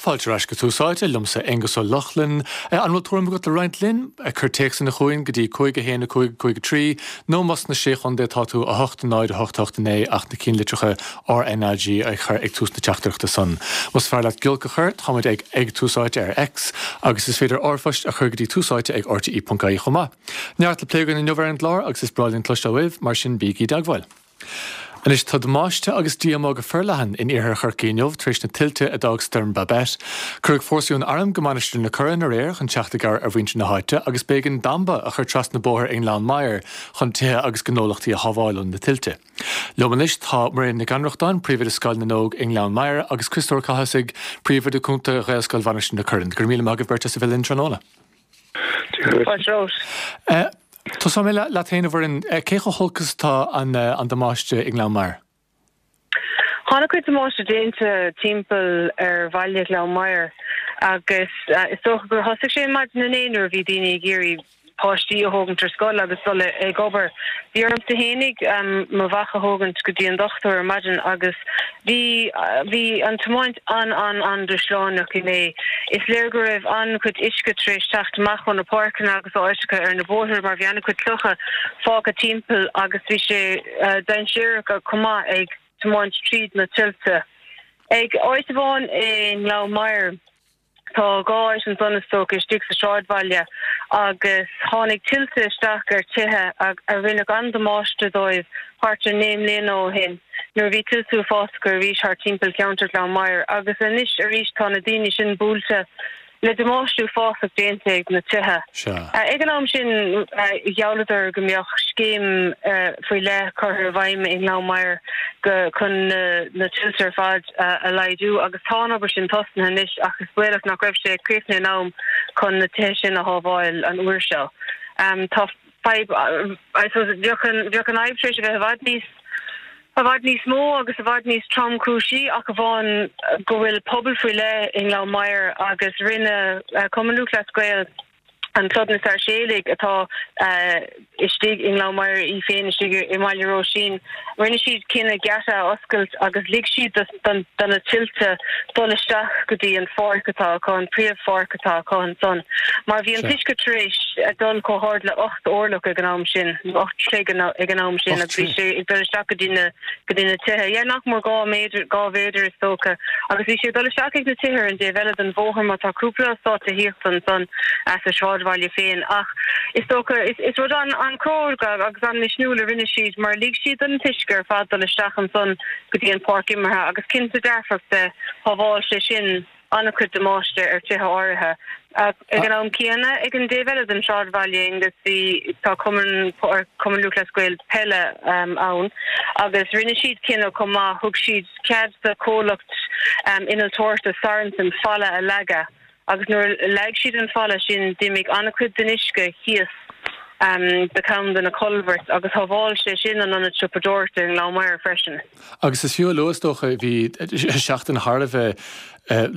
Fáilte ar ais go Tús Áite, liomsa Aengus Ó Lochlainn. An bhfuil tuairim agat le roinnt linn? Cuir téacsanna chugainn go dtí 5 1 5 5 3 nó más sna Sé Chontae atá tú 8 0 8 8 9 ach na cinnlitreacha RnaG a chur ag tús na teachtaireachta san. Más fearr leat giolc a chur, táimid ag ag Tús Áite ar X agus is féidir r-phost a chur go dtí túsáite ag rte.ie chomh maith. Neart le plé againn inniu ar an gclár agus is breá linn cloisteáil uaibh, mar sin bígí i dteagmháil. Anois tá damáiste agus díomá go forleathan in iarthar Chorcaí inniu tar éis na tuilte a d'fhág Stoirm Babet. Cuireadh fórsaí ón arm go Mainistir na Corann aréir chun teacht i gcabhair ar mhuintir na háite agus b'éigean damba a chur trasna bóthair i nGleann Maghair chun tithe agus gnólachtaí a shábháil ó na tuilte. Liom anois tá Mairéad Nic Annrachtáin, Príomhoide Scoil na nÓg i nGleann Maghair agus Criostóir Ó Cathasaigh, Príomhoide Cúnta Ghaelscoil Mhainistir na Corann. Go raibh míle maith agaibh beirt as a bheith linn tráthnóna. Fáilte romhat. Tosóidh mé leat féin, a Mhuireann. Cé chomh holc is atá an damáiste i nGleann Maghair? Tá an-chuid damáiste déanta timpeall ar bhaile Ghleann Maghair agus is dócha gur thosaigh sé maidin inné nuair a bhí daoine ag iarraidh páistí a thógaint ar scoil agus dul ag obair. Bhí ormsa fhéinig mo mhac a thógaint go dtí an dochtúir ar maidin agus bhí bhí an tiomáint an-an-an-dúshlánach inné. Is léir go raibh an-chuid uisce tar éis teacht amach ó na páirceanna agus áiteacha ar na bóithre mar bhí an-chuid clocha fágtha timpeall agus bhí sé dainséarach chomh maith ag tiomáint tríd na tuilte. Ag áit amháin i nGleann Maghair, Tá 2 áit ansan is dócha istigh sa sráidbhaile agus tháinig tuilte isteach ar tithe a rinne an-damáiste dóibh thart ar 9 mbliana ó shin nuair a bhí tuilte uafásacha arís thart timpeall cheantar Ghleann Maghair agus anois arís tá na daoine sin buailte le damáiste uafásach déanta ag na tithe. Ag an am sin ghealladar go mbeadh scéim faoi leith curtha i bhfeidhm i nGleann Maghair chun na tuilte ar fad a laghdú agus tá an obair sin tosnaithe anois ach is baolach nach raibh sé críochnaithe in am chun na tithe sin a shábháil an uair seo. Tá fadhb, I suppose, bheadh an, bheadh an fhadhb tar éis a bheith i bhfad níos, i bhfad níos mó agus i bhfad níos tromchúisí ach amháin go bhfuil pobal faoi leith i nGleann Maghair agus rinne Cumann Lúthchleas Gael, an Club na Sáirséalaigh atá istigh i nGleann Maghair í féin istigh i mBaile Roisín. Rinne siad cinneadh geata a oscailt agus lig siad do na tuilte dul isteach go dtí an pháirc atá acu, an príomhpháirc atá acu ansan, mar bhí an t-uisce tar éis dul chomh hard le 8 orlach ag an am sin, nó 8 troigh ag an am sin agus bhí sé ag dul isteach go dtí na go dtí na tithe. Yeah, nach mór 2 méadar, 2 mhéadar is dócha. Agus bhí sé ag dul isteach ag na tithe ar an dtaobh eile den bhóthar mar tá cúpla eastát tithíochta ansan sa sráidbhaile féin. Ach is dócha, is, is rud an-chróga agus an-mhisniúil a rinne siad mar lig siad don t-uisce ar fad dul isteach ansan go dtí an pháirc imeartha agus cinnte dearfach de shábháil sé sin an-chuid damáiste ar tithe áirithe. Ag an am céanna, ag an dtaobh eile den sráidbhaile, Aengus, bhí, tá Cumann, Cumann Lúthchleas Gael peile ann agus rinne siad cinneadh chomh maith, thug siad cead do chomhlacht innealtóireachta Sorensen falla a leagadh agus nuair a leag siad an falla sin d'imigh an-chuid den uisce thíos do cheann de na colbhairt agus shábháil sé sin an ionad siopadóireachta i nGleann Maghair freisin. Agus is fiú a lua, is dócha, bhí seachtain thar a bheith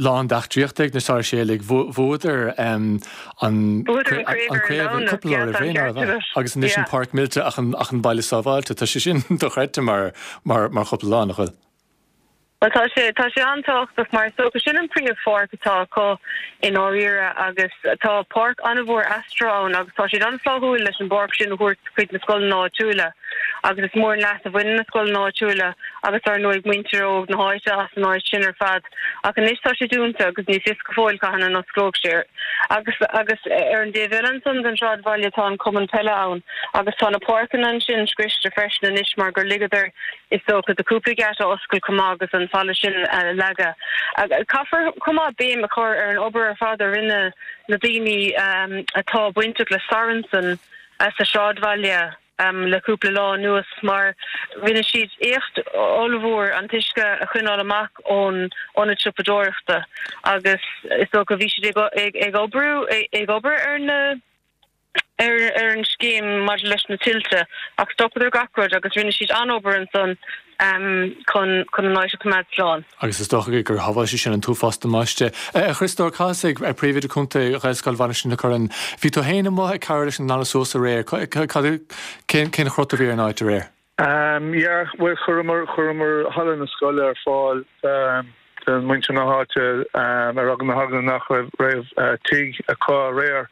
lán d'eachtraíochta ag na Sáirséalaigh. Bhuadar an craobh cúpla lá roimh ré, nárbh ea? Agus anois an pháirc millte ach an baile sábháilte. Tá sé sin dochreidte mar chúpla lá, nach bhfuil? Bhuel, tá sé, tá sé an-tábhachtach mar is dócha sin an príomhpháirc atá acu i ndáiríre agus tá páirc an-mhór astro ann agus tá siad an-fhlaithiúil leis an bpáirc sin a thabhairt chuig na scoileanna áitiúla agus is mór an leas a bhaineann na scoileanna áitiúla agus dar ndóigh muintir óg na háite as an áit sin ar fad ach anois tá sé dúnta agus ní fios go fóill cathain a n-osclóidh sé agus agus ar an dtaobh eile ansan den sráidbhaile tá an cumann peile ann agus tá na páirceanna ansin scriosta freisin anois mar gur ligeadar is dócha do cúpla geata a oscailt chomh maith agus an falla sin a leagadh. Caithfear chomh maith béim a chur ar an obair ar fad a rinne na daoine atá bainteach le Sorensen sa sráidbhaile le cúpla lá anuas mar rinne siad éacht ollmhór an t-uisce a choinneáil amach ón ionad siopadóireachta agus is dócha bhí siad ag oibriú ag obair ar na ar an scéim maidir leis na tuilte ach stopadar gach rud agus rinne siad an-obair ansan chun chun an áit a choimeád slán. Agus is dócha gur shábháil sé sin an t-uafás damáiste. A Chriostóir Cathasaigh, Príomhoide Cúnta Ghaelscoil Mhainistir na Corann, bhí tú féin amuigh ag cabhrú leis an nglanadh suas aréir. Cén chrot a bhí ar an áit aréir? Yeah, bhuel chuireamar, chuireamar halla na scoile ar fáil. de mhuintir na háite ar eagla na heagla nach raibh tigh acu aréir.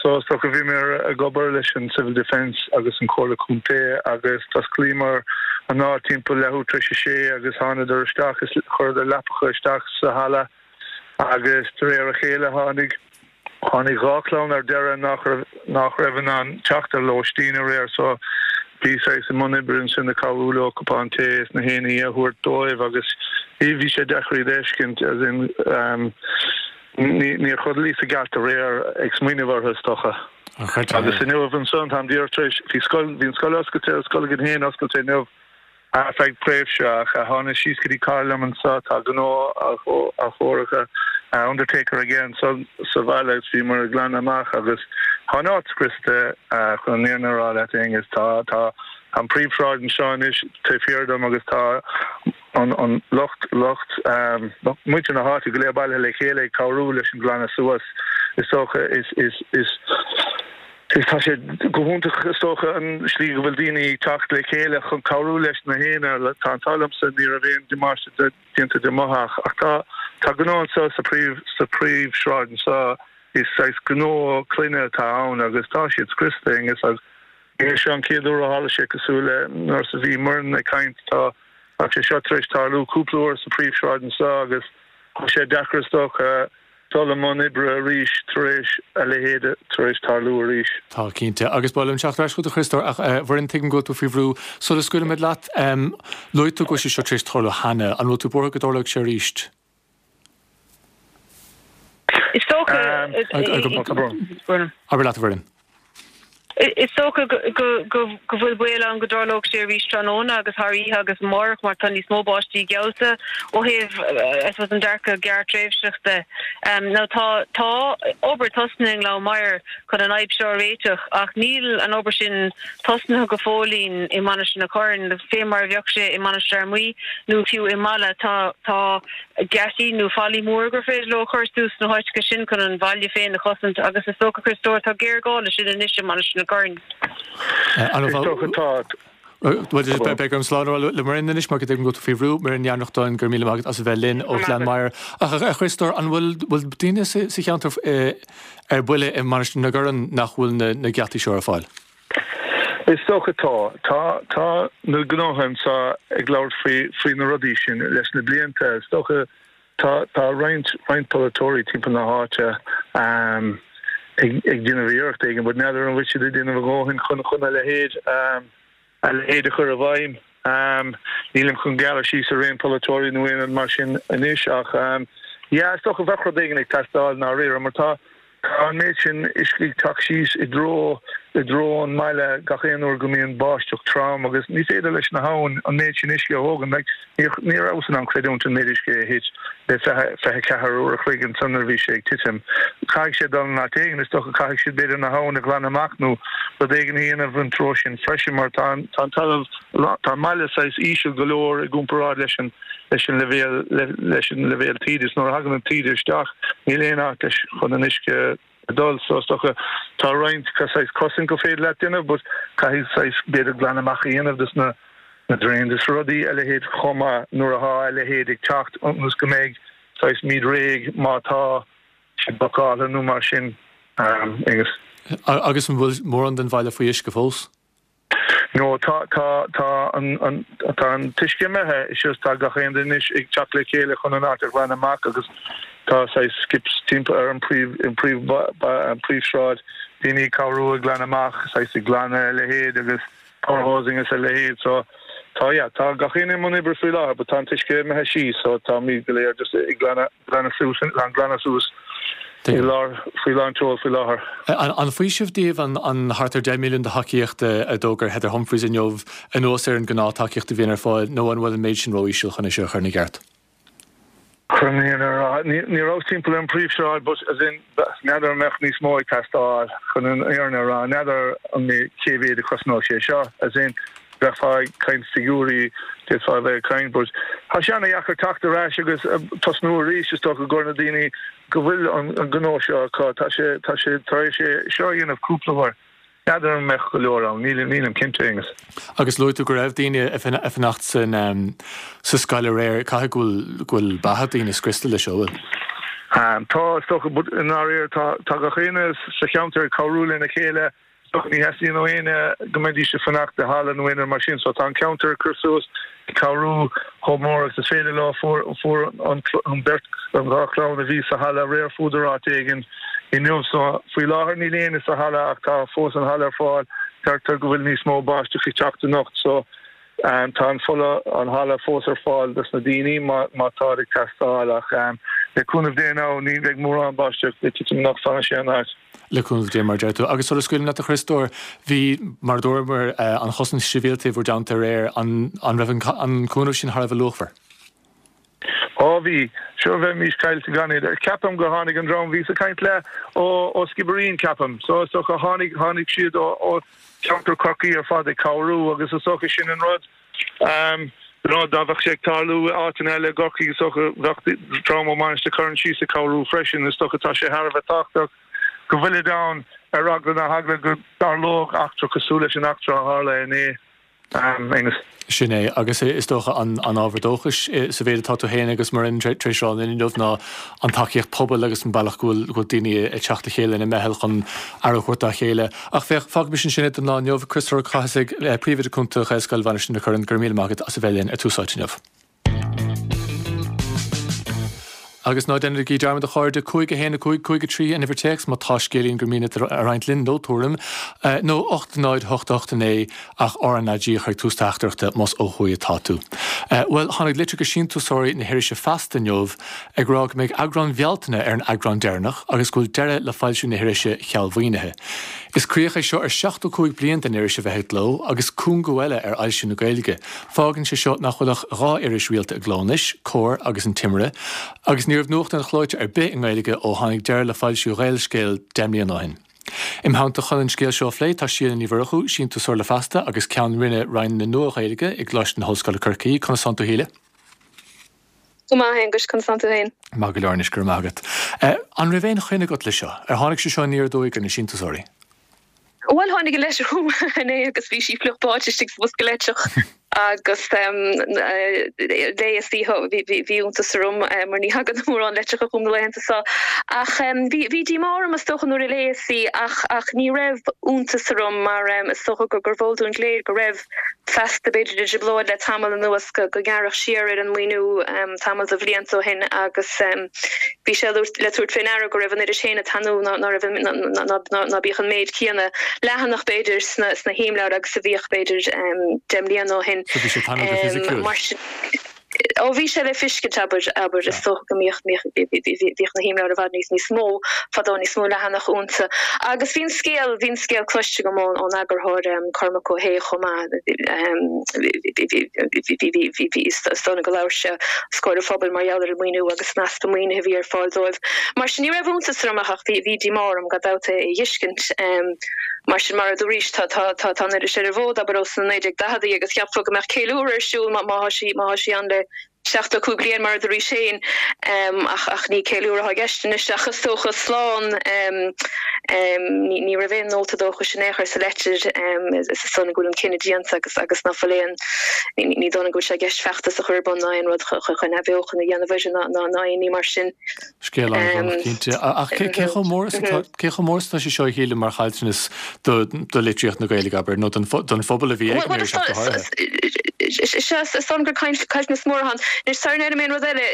So is dócha bhíomar ag obair leis an Civil Defence agus an Comhairle Contae agus d'osclaíomar an áit timpeall leathuair tar éis a sé agus thánadar isteach is chuireadar leapacha isteach sa halla agus de réir a chéile tháinig tháinig 2 chlann ar deireadh nach raibh nach raibh in ann teacht ar lóistín aréir so bhí saghas i mbun oibre ansin ag cabhrú leo cupán tae is na haon ní a thabhairt dóibh agus bhí bhí sé deacair iad a fheiscint as in Níor chodlaíos i gceart aréir ag smaoineamh orthu, is dócha. Agus inniu ansan, táim díreach tar éis, bhí scoil, bhí an scoil oscailte, an scoil againn féin oscailte inniu ar feadh tréimhse ach tháinig síos go dtí cara liom anso, tá gnó athchóirithe, undertaker aige anso sa bhaile agus bhíomar ag glanadh amach agus tá an áit scriosta chun an fhírinne a rá leat Aengus. Tá, tá an príomhshráid anseo anois taobh thiar dom agus tá, an lucht, lucht, muintir na háite go léir bailithe le chéile ag cabhrú leis an glanadh suas, is dócha. Is, is, is, is, tá sé go hiontach, is dócha, an slí go bhfuil daoine ag teacht le chéile chun cabhrú leis na haon. Tá an t-ádh liomsa, ní raibh aon damáiste déanta de mo theach ach tá, tá gnó anseo sa príomh, sa príomhshráid anseo, is saghas gnó clainne atá ann agus tá siad scriosta, Aengus, agus ní hé seo an chéad uair a tharla sé cosúil le nuair a bhí Muireann ag caint, tá, Tá sé seo tar éis tarlú cúpla uair sa phríomhshráid anseo agus tá sé deacair is dócha dul i mbun oibre arís tar éis a leithéid tar éis tarlú arís. Tá, cinnte. Agus ba mhaith liom teacht ar ais chugat a Chriostóir ach a Mhuireann, tuigim go bhfuil tú faoi bhrú. Sula scaoilfimid leat, luaigh tú go bhfuil sé seo tar éis tarlú cheana. An bhfuil tú buartha go dtarlóidh sé arís? Is dócha. Abair leat, a Mhuireann. Is dócha go bhfuil baol ann go dtarlódh sé arís tráthnóna agus thar oíche agus amárach mar tá níos mó báistí geallta ó thaobh I suppose an dearcadh gearrtréimhseach de. Now tá tá obair tosnaithe i nGleann Maghair chun an fhadhb seo a réiteach ach níl an obair sin tosnaithe go fóillín i Mainistir na Corann, fé mar a bheadh sé i Mainistir Fhear Maí nó fiú i Mala. Tá tá geataí nó fallaí móra gur féidir leo a chur suas sna háiteacha sin chun an bhaile féin a chosaint agus is dócha, Chriostóir, tá géarghá leis sin anois i Mainistir na Corann. Is dócha tá. Bhuel, beidh orm slán a rá le Muireann anois mar go dtuigim go bhfuil tú faoi bhrú. Muireann Ní Annrachtáin, go raibh míle maith agat as a bheith linn ó Ghleann Maghair. Ach a Chriostóir, an bhfuil bhfuil daoine sa cheantar ar buile i Mainistir na gCorann nach bhfuil na geataí seo ar fáil? Is dócha tá. Tá, tá na gnótha anseo ag labhairt faoi, faoi na rudaí sin leis na blianta. Is dócha tá, tá roinnt, roinnt polaiteoirí timpeall na háite ag, ag déanamh iarracht éigin but n'fheadar an bhfuil siad ag déanamh a ndóthain chun, chun a leithéid, a leithéid a chur i bhfeidhm. Nílim chun gearradh síos ar aon polaiteoirí nó aon rud mar sin anois ach yeah, is dócha bheadh rud éigin ag teastáil i ndáiríre mar tá, Tá an méid sin uisce ag teacht síos i dtreo i dtreo an mbaile gach aon uair go mbíonn báisteach trom agus ní féidir leis na habhainn an méid sin uisce a thógaint. Like, ní ní rabhas in ann creidiúint an méid uisce a thit le 24 uair a chloig ansan nuair a bhí sé ag titim. Caithfidh sé dul in áit éigin, is dócha caithfidh siad b'fhéidir na habhainn a ghlanadh amach nó rud éigin a dhéanamh an treo sin freisin mar tá an tá an talamh tá an mbaile saghas íseal go leor i gcomparáid leis an leis an leibhéal leis an leibhéal taoide is nuair a thagann an taoide isteach níl aon áit leis chun an uisce a dul so is dócha tá roinnt saghas cosaint go féidir leat déanamh but caithfidh saghas b'fhéidir glanadh amach a dhéanamh dos na na drains is rudaí a leithéid chomh maith nuair atá a leithéid ag teacht ionas go mbeidh saghas muid réidh má tá sé blocáilte nó mar sin agus. Agus an bhfuil mórán den bhaile faoi uisce fós? No, tá, tá, tá an, an, tá an t-uisce imithe, it's just tá gach aon duine anois ag teacht le chéile chun an áit a ghlanadh amach agus tá saghas skips timpeall ar an príomh, an príomh, an príomhshráid, daoine ag cabhrú ag glanadh amach, saghas ag glanadh a leithéid agus power hosing is a leithéid so tá, yeah, tá gach aon i mbun oibre faoi láthair but tá an t-uisce imithe síos so táimid go léir just ag glanadh, glanadh suas, an glanadh suas. I lár, faoi lán tseoil faoi láthair. An faoiseamh daoibh an thart ar 10 milliún de thacaíocht a d'fhógair Heather Humphreys inniu, anuas ar an gnáth-tacaíocht a bhíonn ar fáil, nó an bhfuil an méid sin ró-íseal chun é seo a chur ina gceart? Chun an fhírinne a rá, ní rabhas timpeall ar an bpríomhshráid but as in, n'fheadar an mbeadh níos mó ag teastáil, chun an fhírinne a rá, n'fheadar an mbeidh, cé mhéad a chosnódh sé seo, as in, bheifeá ag caint figiúirí, d'fhéadfá a bheith ag caint but tá sé ana-dheacair teacht ar ais agus tosnú arís is dócha do na daoine go bhfuil an gnó seo acu, tá sé, tá sé tar éis é seo a dhéanamh cúpla uair. N'fheadar an mbeadh go leor ann, nílim cinnte, Aonghus. Agus luaigh tú go raibh daoine ag fanacht san sa scoil aréir, caithfidh go bhfuil go bhfuil beatha daoine scriosta leis seo, bhfuil? Tá, is dócha, but i ndáiríre tá tá gach éinne sa cheantar ag cabhrú lena chéile, is dócha ní theastaíonn ó éinne go mbeidís ag fanacht i halla nó aon rud mar sin, so tá an ceantar ag cur suas, ag cabhrú chomh mór agus is féidir leo. Fuair fuair an an beirt an dá chlann a bhí sa halla aréir fuadar áit éigin inniu so faoi láthair níl éinne sa halla ach tá fós an halla ar fáil. Deirtear go bhfuil níos mó báisteach ag teacht anocht so tá an fola an halla fós ar fáil dos na daoine má má táid ag teastáil ach le cúnamh Dé now ní bheidh mórán báisteach ag titim anocht fanfaidh sé an áit. Le cúnamh Dé mar a deir tú. Agus sula scaoilim leat a Chriostóir, bhí, mar a dúramar, an chosaint shibhialta i bhur dteannta aréir, an an raibh an cúnamh sin thar a bheith luachmhar? Ó bhí. Sure bheimís caillte gan iad. Ceapaim gur tháinig an dream bhíos ag caint le ó ó Skibbereen ceapaim. So is dócha tháinig tháinig siad ó ó cheantar Chorcaí ar fad ag cabhrú agus is dócha sin an rud. You know dá bheadh sé ag tarlú i áiteanna eile i gCorcaigh is dócha bheadh dream ó Mainistir Choirn síos ag cabhrú freisin. Is dócha tá sé thar a bheith tábhachtach go bhfuilid ann ar eagla na heagla go dtarlódh eachtra cosúil leis an eachtra a tharla inné. Aonghus. Sin é, agus is dócha an ábhar dóchais sa mhéid atá tú féin agus Muireann tar éis rá linn inniu ná an tacaíocht pobail agus an bealach go bhfuil daoine ag teacht le chéile ina meitheal chun aire a thabhairt dá chéile. Ach féach, fágaimis ansin é don lá inniu. Criostóir Ó Cathasaigh, Príomhoide Cúnta Ghaelscoil Mhainistir na Corann, go raibh míle maith agat as a bheith linn ar Tús Áite inniu. Agus ná déanaigí dearmad a chairde, 5 1 5 5 3 an uimhir téacs má tá scéilín gur mian leat a roinnt linn nó tuairim, nó 8 0 8 8 9 ach RnaG a chur ag tús teachtaireachta más ó thuaidh atá tú. Bhuel, tháinig litir go síntiúsóirí na hirise Feasta inniu ag rá go mbeidh eagrán Bhealtaine ar an eagrán deireanach agus go bhfuil deireadh le foilsiú na hirise cheal mhaoinithe. Is críoch é seo ar 75 bliain den iris a bheith i gcló agus cúngú eile ar fhoilsiú na Gaeilge. Fágann sé seo nach bhfuil ach 2 iris rialta i gcló anois, Comhar agus An Timire, agus ní raibh nuachtán clóite ar bith i nGaeilge ó tháinig deireadh le foilsiú Ghaelscéal 10 mbliana ó shin. Im theannta chun an scéal seo a phlé tá Síle Ní Mhurchú, síntiúsóir le Feasta agus Ceann Roinne Roinn na Nua-Ghaeilge i gColáiste na hOllscoile Corcaigh. Conas tánn tú a Shíle? Go maith, a Aonghuis, conas tánn tú féin? Maith go leor anois, go raibh maith agat. An raibh aon choinne agat le seo? Ar tháinig sé seo aniar aduaidh ar na síntiúsóirí? Bhuel, tháinig an leitir chugam inné agus bhí sí fliuch báite istigh sa bhosca leitreach agus léas í, bhí iontas orm mar ní thagann mórán leitreacha chugam na laethanta seo. Ach bhí díomá orm is dócha nuair a léas í ach ní raibh iontas orm mar is dócha gurbh eol dúinn go léir go raibh Feasta b'fhéidir i dtrioblóid le tamall anuas go ngearradh siar ar an maoiniú tamall de bhlianta ó shin agus bhí sé le tabhairt fé ndeara go raibh an iris féin ag tanú ná raibh ná bíodh an méid céanna leathanach b'fhéidir sna himleabhair agus a bhíodh b'fhéidir 10 mbliana ó shin. So bhí sé ag tanú go fisiciúil? Mar sin. Ó bhí sé le fiscint, abair, abair, is dócha go mbíodh, mbíodh, bhíodh na himleabhair i bhfad níos, níos mó fadó, níos mó leathanach iontu. Agus bhí an scéal, bhí an scéal cloiste agam ón, ón eagarthóir, Cormac Ó hAodha chomh maith, bhí, bhí, bhí, bhí, bhí, bhí, is dóigh liom go labhair sé os comhair an phobail mar gheall ar an maoiniú agus an easpa maoinithe a bhí ar fáil dóibh. Mar sin ní raibh iontas orm ach, ach bhí, bhí díomá orm gan dabht é a fheiscint. Mar sin, mar a dúraís, tá, tá, tá, tá an iris ar an bhfód, abair, ó sna 1940idí agus cheapfá go mbeadh ceiliúradh ar siúl má, má tá sí, má tá sí ann le 75 bliain, mar a dúraís féin. Ach, ach ní ceiliúradh atá i gceist anois ach is dócha slán. Ní, ní raibh aon nóta dóchais in aon chor sa leitir. Is dóigh liom go bhfuil an cinneadh déanta agus, agus ná fuil aon, ní, ní dóigh liom go bhfuil sé i gceist feachtas a chur ar bun ná aon rud chun, chun athbheochan a dhéanamh uirthi ná, ná, ná aon ní mar sin. Scéal an-bhrónach cinnte. Ach cé chomh mór is atá cé chomh mór is atá sé seo a Shíle mar chaillteanas do do litríocht na Gaeilge, abair, nó don don phobal a bhí ag an iris ach go háirithe? Sea, is dóigh liom gur caillteanas mór atá ann. Anois, sara ndeirim aon rud eile,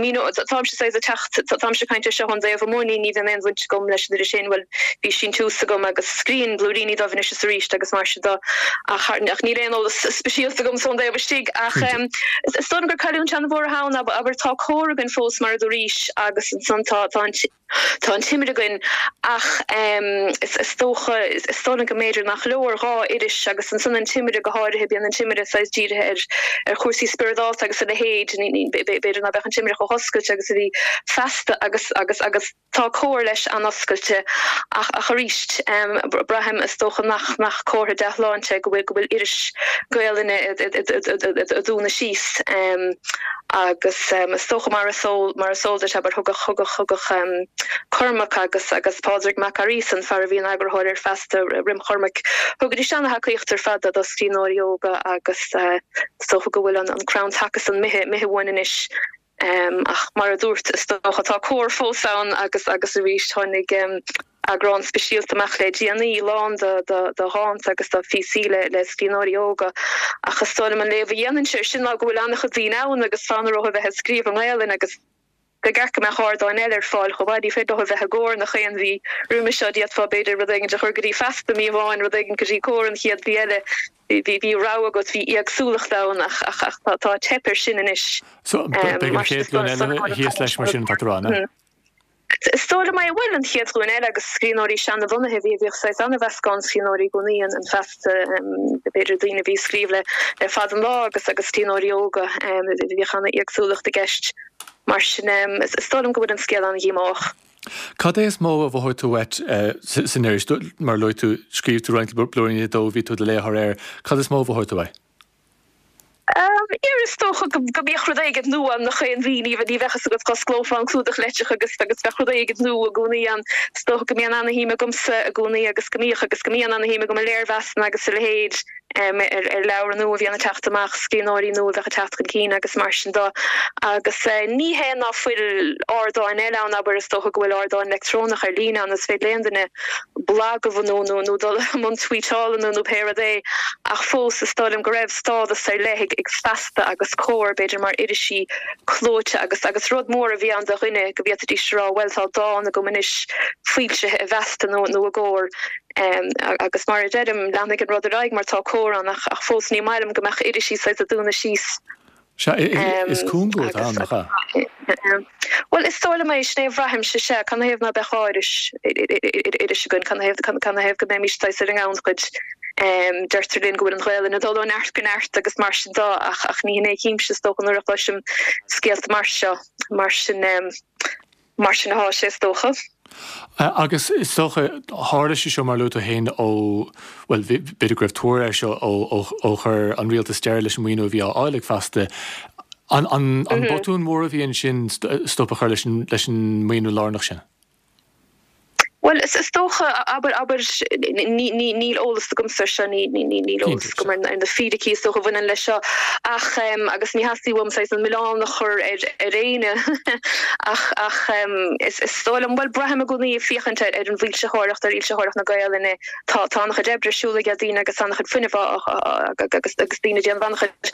míneoidh, táimse saghas ag teacht, táimse ag caint air seo ón dtaobh amuigh, ní ní bhíonn aon bhaint agam leis an iris féin, bhuel, bhí síntiús agam agus scríobhaim blúiríní dóibh anois is arís agus mar sin de, ach ach níl aon eolas speisialta agam ón dtaobh istigh. Ach is dóigh liom gur cailliúint an-mhór atá ann, abair, tá Comhar againn fós mar a dúraís agus ansan tá tá an tá an Timire againn ach is dócha is dóigh liom go mb'fhéidir nach leor 2 iris agus ansan an Timire go háirithe, bíonn an Timire saghas dírithe ar ar chúrsaí spioradálta agus a leithéid, b'fhéidir ná beadh an Timire chomh hoscailte agus a bhí Feasta agus agus agus. Tá Comhar leis an-oscailte ach ach arís braithim is dócha nach nach comhartha dea-shláinte go bhfuil go bhfuil iris Gaelainne ag dúnadh síos. Agus is dócha mar is eol, mar is eol duit, abair, thugadh, thugadh, thugadh Cormac agus, agus Pádraig Mac Fhearghusa, an fear a bhí ina eagarthóir ar Feasta roim Chormac, thugaidís ana-thacaíocht ar fad do scríbhneoirí óga agus is dócha go bhfuil an, an crann taca san imithe, imithe uainn anois. Ach mar a dúrt, is dócha, tá Comhar fós ann agus, agus arís tháinig eagrán speisialta amach le déanaí, lán de dhánta agus de phíosaí le scríbhneoirí óga. Ach is dóigh liom an léamh a dhéanfainnse air sin ná go bhfuil an-chuid daoine ann agus fonn orthu a bheith ag scríobh i nGaelainn agus ba cheart go mbeadh ardáin eile ar fáil chomh maith. Ní féidir leo a bheith i gComhar nach aon mhí roimhe seo. D'fhéadfá b'fhéidir rud éigin a chur go dtí Feasta mí amháin, rud éigin go dtí Comhar an chéad mhí eile. Bhí rogha agat, bhí éagsúlacht ann ach tá teip air sin anois. So beidh an chéad ghlúin eile thíos leis mar sin, tá tú a rá, an ea? Is dóigh liom é. Bhuel, an chéad ghlúin eile agus scríbhneoirí seanabhunaithe, bhí, bhíodh saghas an-mheascán scríbhneoirí i gcónaí in Feasta, b'fhéidir daoine a bhí ag scríobh le le fada an lá agus agus scríbhneoirí óga, bhíodh an-éagsúlacht i gceist. Mar sin, is dóigh liom go bhfuil an scéal an-dhíomách. Cad é is mó a mhothaigh tú uait san iris? Mar a luaigh tú, scríobh tú roinnt blúiríní dó, bhí tú i do léitheoir air. Cad is mó a mhothaigh tú uaidh? Ar, is dócha go mbíodh rud éigin nua ann nach aon mhí, ní bheadh a fhios agat, d'osclófá an clúdach litreach agus agus bheadh rud éigin nua i gcónaí ann. Is dócha go mbíonn ana-shuim agamsa i gcónaí agus go mbíodh agus go mbíonn ana-shuim agam i léirmheasanna agus a leithéid ar ar leabhra nua a bhíonn ag teacht amach, scríbhneoirí nua a bheadh ag teacht chun cinn agus mar sin de. Agus ní hé ná fuil ardáin eile ann, abair, is dócha go bhfuil ardáin leictreonach ar líne ann, is féidir le aon duine blag a bhunú nó nó dul i mbun tweetála nó nó pé rud é ach fós is dóigh liom go raibh stádas ar leith ag ag Feasta agus Comhar b'fhéidir mar irisí clóite agus agus rud mór a bhí ann do dhuine go bhféadfaidís a rá bhuel tá dán agam anois foilsithe i bhFeasta nó nó i gComhar agus mar a deirim leanfaidh an rud ar aghaidh mar tá Comhar ann ach ach fós ní maith liom go mbeadh irisí saghas ag dúnadh síos. Sea, is cúngú atá ann, nach ea? Bhuel, is dóigh liom é, sin é a bhraithimse, sea. Canathaobh ná beadh iris, iris againn? Canathaobh, canathaobh go mbeimis saghas ar an ngannchuid? Deirtear linn go bhfuil an Ghaelainn ag dul ó neart go neart agus mar sin de, ach, ach ní hin é a chímse, is dócha, nuair a chloisim scéalta mar seo. Mar sin. Mar sin atá sé, is dócha. Agus is dócha, tharla sé seo, mar a luaigh tú féin, ó, bhuel, b'fhéidir go raibh tuar air seo ó ó chuir an rialtas deireadh leis an maoiniú a bhí á fháil ag Feasta. An an an botún mór a bhí ansin stop a chur leis an leis an maoiniú lárnach sin? Bhuel, is dócha, abair, abair, níl eolas agamsa air seo, níl eolas agam ar na fíricí is dócha a bhaineann leis seo, ach, agus ní theastaíonn uaim saghas an milleán a chur ar ar éinne, ach, ach is dóigh liom, bhuel, braithim i gcónaí ag féachaint ar ar an bhfoilsitheoireacht, ar fhoilsitheoireacht na Gaelainne, tá, tá an-chuid oibre ar siúl ag daoine agus an-chuid fuinnimh á, agus, agus daoine ag déanamh an-chuid,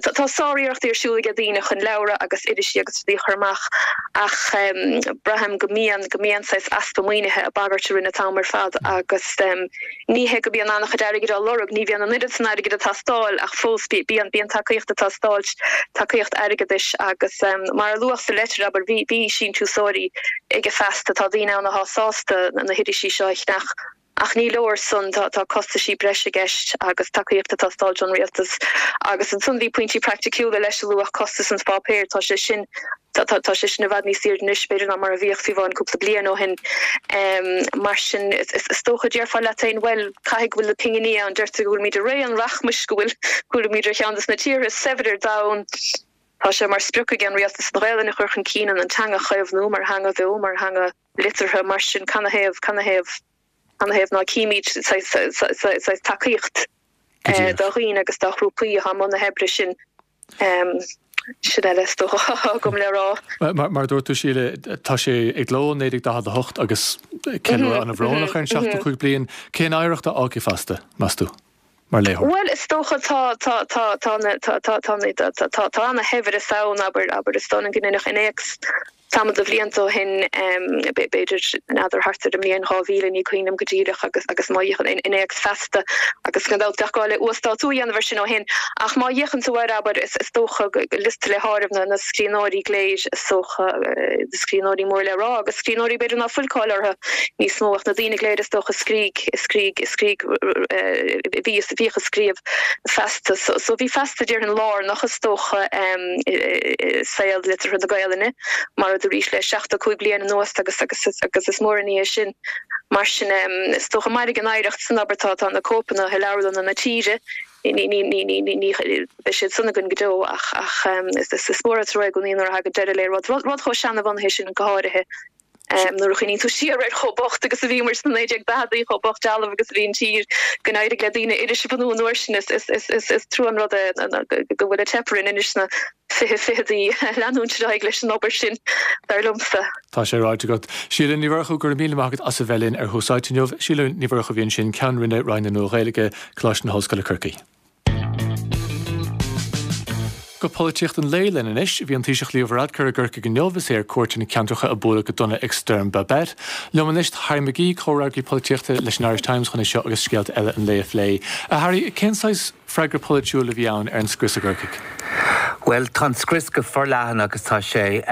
tá sár-iarrachtaí ar siúl ag daoine chun leabhra agus irisí agus rudaí a chur amach ach braithim go mbíonn, go mbíonn saghas easpa maoinithe ag bagairt orainn an t-am ar fad agus ní hé go mbíonn an-chuid airgid á lorg, ní bhíonn an oiread san airgid ag teastáil ach fós bíonn, bíonn tacaíocht ag teastáil, tacaíocht airgeadais agus mar a luadh sa leitir, abair, bhí, bhí síntiúsóirí ag Feasta, tá daoine ann atá sásta na hirisí seo a cheannach Ach ní leor san, tá costaisí breise i gceist agus tacaíocht ag teastáilt ón rialtas. Agus ansan bhí pointí praiticiúla leis a luadh, costas an pháipéir, tá sé sin, tá sé sin i bhfad níos airde anois b'fhéidir ná mar a bhíodh fiú amháin cúpla bliain ó shin. Mar sin, is dócha, déarfá leat féin, bhuel, caithfidh go bhfuil na pinginí ann, deirtear go bhfuilimid i ré an rachmais, go bhfuil, go bhfuilimid ar cheann de na tíortha is saibhre ar domhan. Tá sé mar sprioc ag an rialtas an Ghaelainn a chur chun cinn, an teanga a chaomhnú mar theanga bheo, mar theanga. liteartha, mar sin canathaobh, canathaobh, canathaobh ná címid saghas tacaíocht do dhaoine agus do ghrúpaí atá i mbun na hoibre sin. Sin uile is dócha atá agam le rá. Mar a dúirt tú, Síle, tá sé i gcló ó 1948 agus ceiliúradh an-bhrónach ar an 75 bliain. Cén oidhreacht a fhágfaidh Feasta, meas tú, mar léitheoir? Bhuel, is dócha tá, tá, tá, tá na, tá, tá, tá na, tá, tá, tá ana-shaibhreas ann, abair, abair, is dóigh liom go ndeineadh innéacs Tamall de bhlianta ó shin, b'fhéidir, n'fheadar, thart ar an mbliain 2000, ní cuimhin liom go díreach, agus agus má fhéachann innéacs Feasta, agus gan dabht bheadh gá le uasdátú a dhéanamh air sin ó shin, ach má fhéachann tú air, abair, is dócha go liosta le háireamh na na scríbhneoirí go léir, is dócha, na scríbhneoirí mór le rá, agus scríbhneoirí b'fhéidir ná fuil cáil orthu níos mó, ach na daoine go léir is dócha a scrígh, a scrígh, a scrígh, a bhí, a bhíodh ag scríobh Feasta. So bhí Feasta, déarfainn, lárnach, is dócha, i saol liteartha na Gaelainne, mar a dúraís, le 75 bliain anuas agus agus is mór an ní é sin. Mar sin, is dócha, mairfidh an oidhreacht san, abair, tá na cóipeanna i leabharlanna na tíre. Ní, ní, ní, ní, ní, ní, beidh siad san againn go deo ach, ach is mór an trua i gcónaí nuair a thagann deireadh le rud, rud chomh seanabhunaithe sin go háirithe. Nuair a chuimhníonn tú siar ar chomh bocht agus a bhíomar sna 1940idí, chomh bocht dealbh agus a bhí an tír, go n-éirigh le daoine iris a bhunú an uair sin, is trua an rud é go bhfuil ag teip orainn anois sna 2020idí leanúint ar aghaidh leis an obair sin, dar liomsa. Tá sé ráite agat. Síle Ní Mhurchú, go raibh míle maith agat as a bheith linn ar Thús Áite inniu. Síle Ní Mhurchú a bhí ansin, Ceann Roinne, Roinn na Nua-Ghaeilge, Coláiste na hOllscoile Corcaigh. Go polaitíocht an lae linn anois. Bhí an Taoiseach Leo Varadkar i gCorcaigh inniu is é ar cuairt ar na ceantracha a buaileadh go dona ag Stoirm Babet. Liom anois tá Harry McGee, comhfhreagraí polaitíochta leis an Irish Times chun é seo agus scéalta eile an lae a phlé. A Harry, cén saghas freagra polaitiúil a bhí ann ar an scrios i gCorcaigh? Bhuel, tá an scrios go forleathan agus tá sé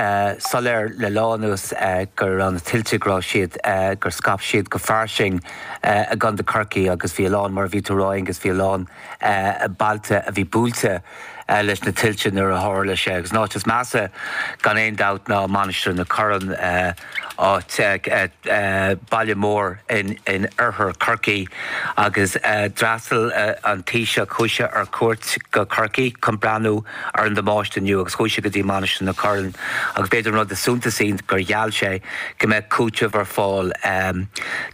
soiléir le lá anuas go raibh na tuilte, go raibh siad, gur scaip siad go fairsing i gContae Chorcaí agus bhí a lán, mar a bhí tú a rá Aengus, bhí a lán bailte a bhí buailte leis na tuilte nuair a tharla sé agus an áit is measa gan aon dabht ná Mainistir na Corann, áit, baile mór in oirthear Chorcaí agus d'fhreastail an Taoiseach, chuaigh sé ar cuairt go Corcaigh chun breathnú ar an damáiste inniu agus chuaigh sé go dtí Mainistir na Corann agus b'fhéidir an rud is suntasaí gur gheall sé go mbeadh cúiteamh ar fáil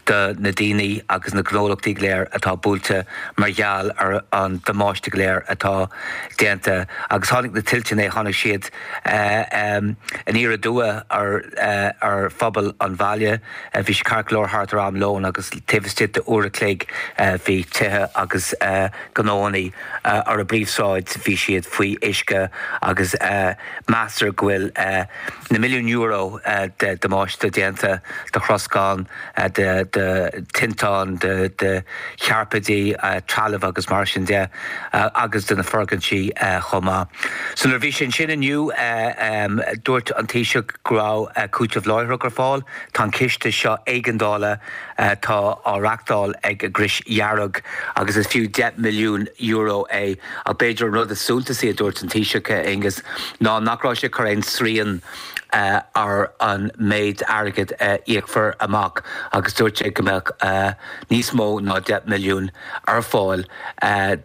do na daoine agus na gnólachtaí go léir atá buailte mar gheall ar an damáiste go léir atá déanta agus tháinig na tuilte inné, tháinig siad aniar aduaidh ar phobal an bhaile. Bhí sé ceart go leor thart ar am lóin agus taobh istigh de uair a chloig bhí tithe agus gnóanna ar an bpríomhshráid, bhí siad faoi uisce agus meastar go bhfuil na milliúin euro de dhamáiste déanta de throscán, de tinteáin, de chairpéidí, trealamh agus mar sin de agus de na foirgintí chomh maith. So nuair a bhí sé ansin inniu dúirt an Taoiseach go raibh cúiteamh láithreach ar fáil. Tá an ciste seo éigeandála atá á reachtáil ag an gCrois Dhearg agus is fiú €10 milliún é ach b'fhéidir an rud is suntasaí a dúirt an Taoiseach, Aengus, ná nach raibh sé ag cur aon srian ar an méid airgid a íocfar amach agus dúirt sé go mbeadh níos mó ná 10 milliún ar fáil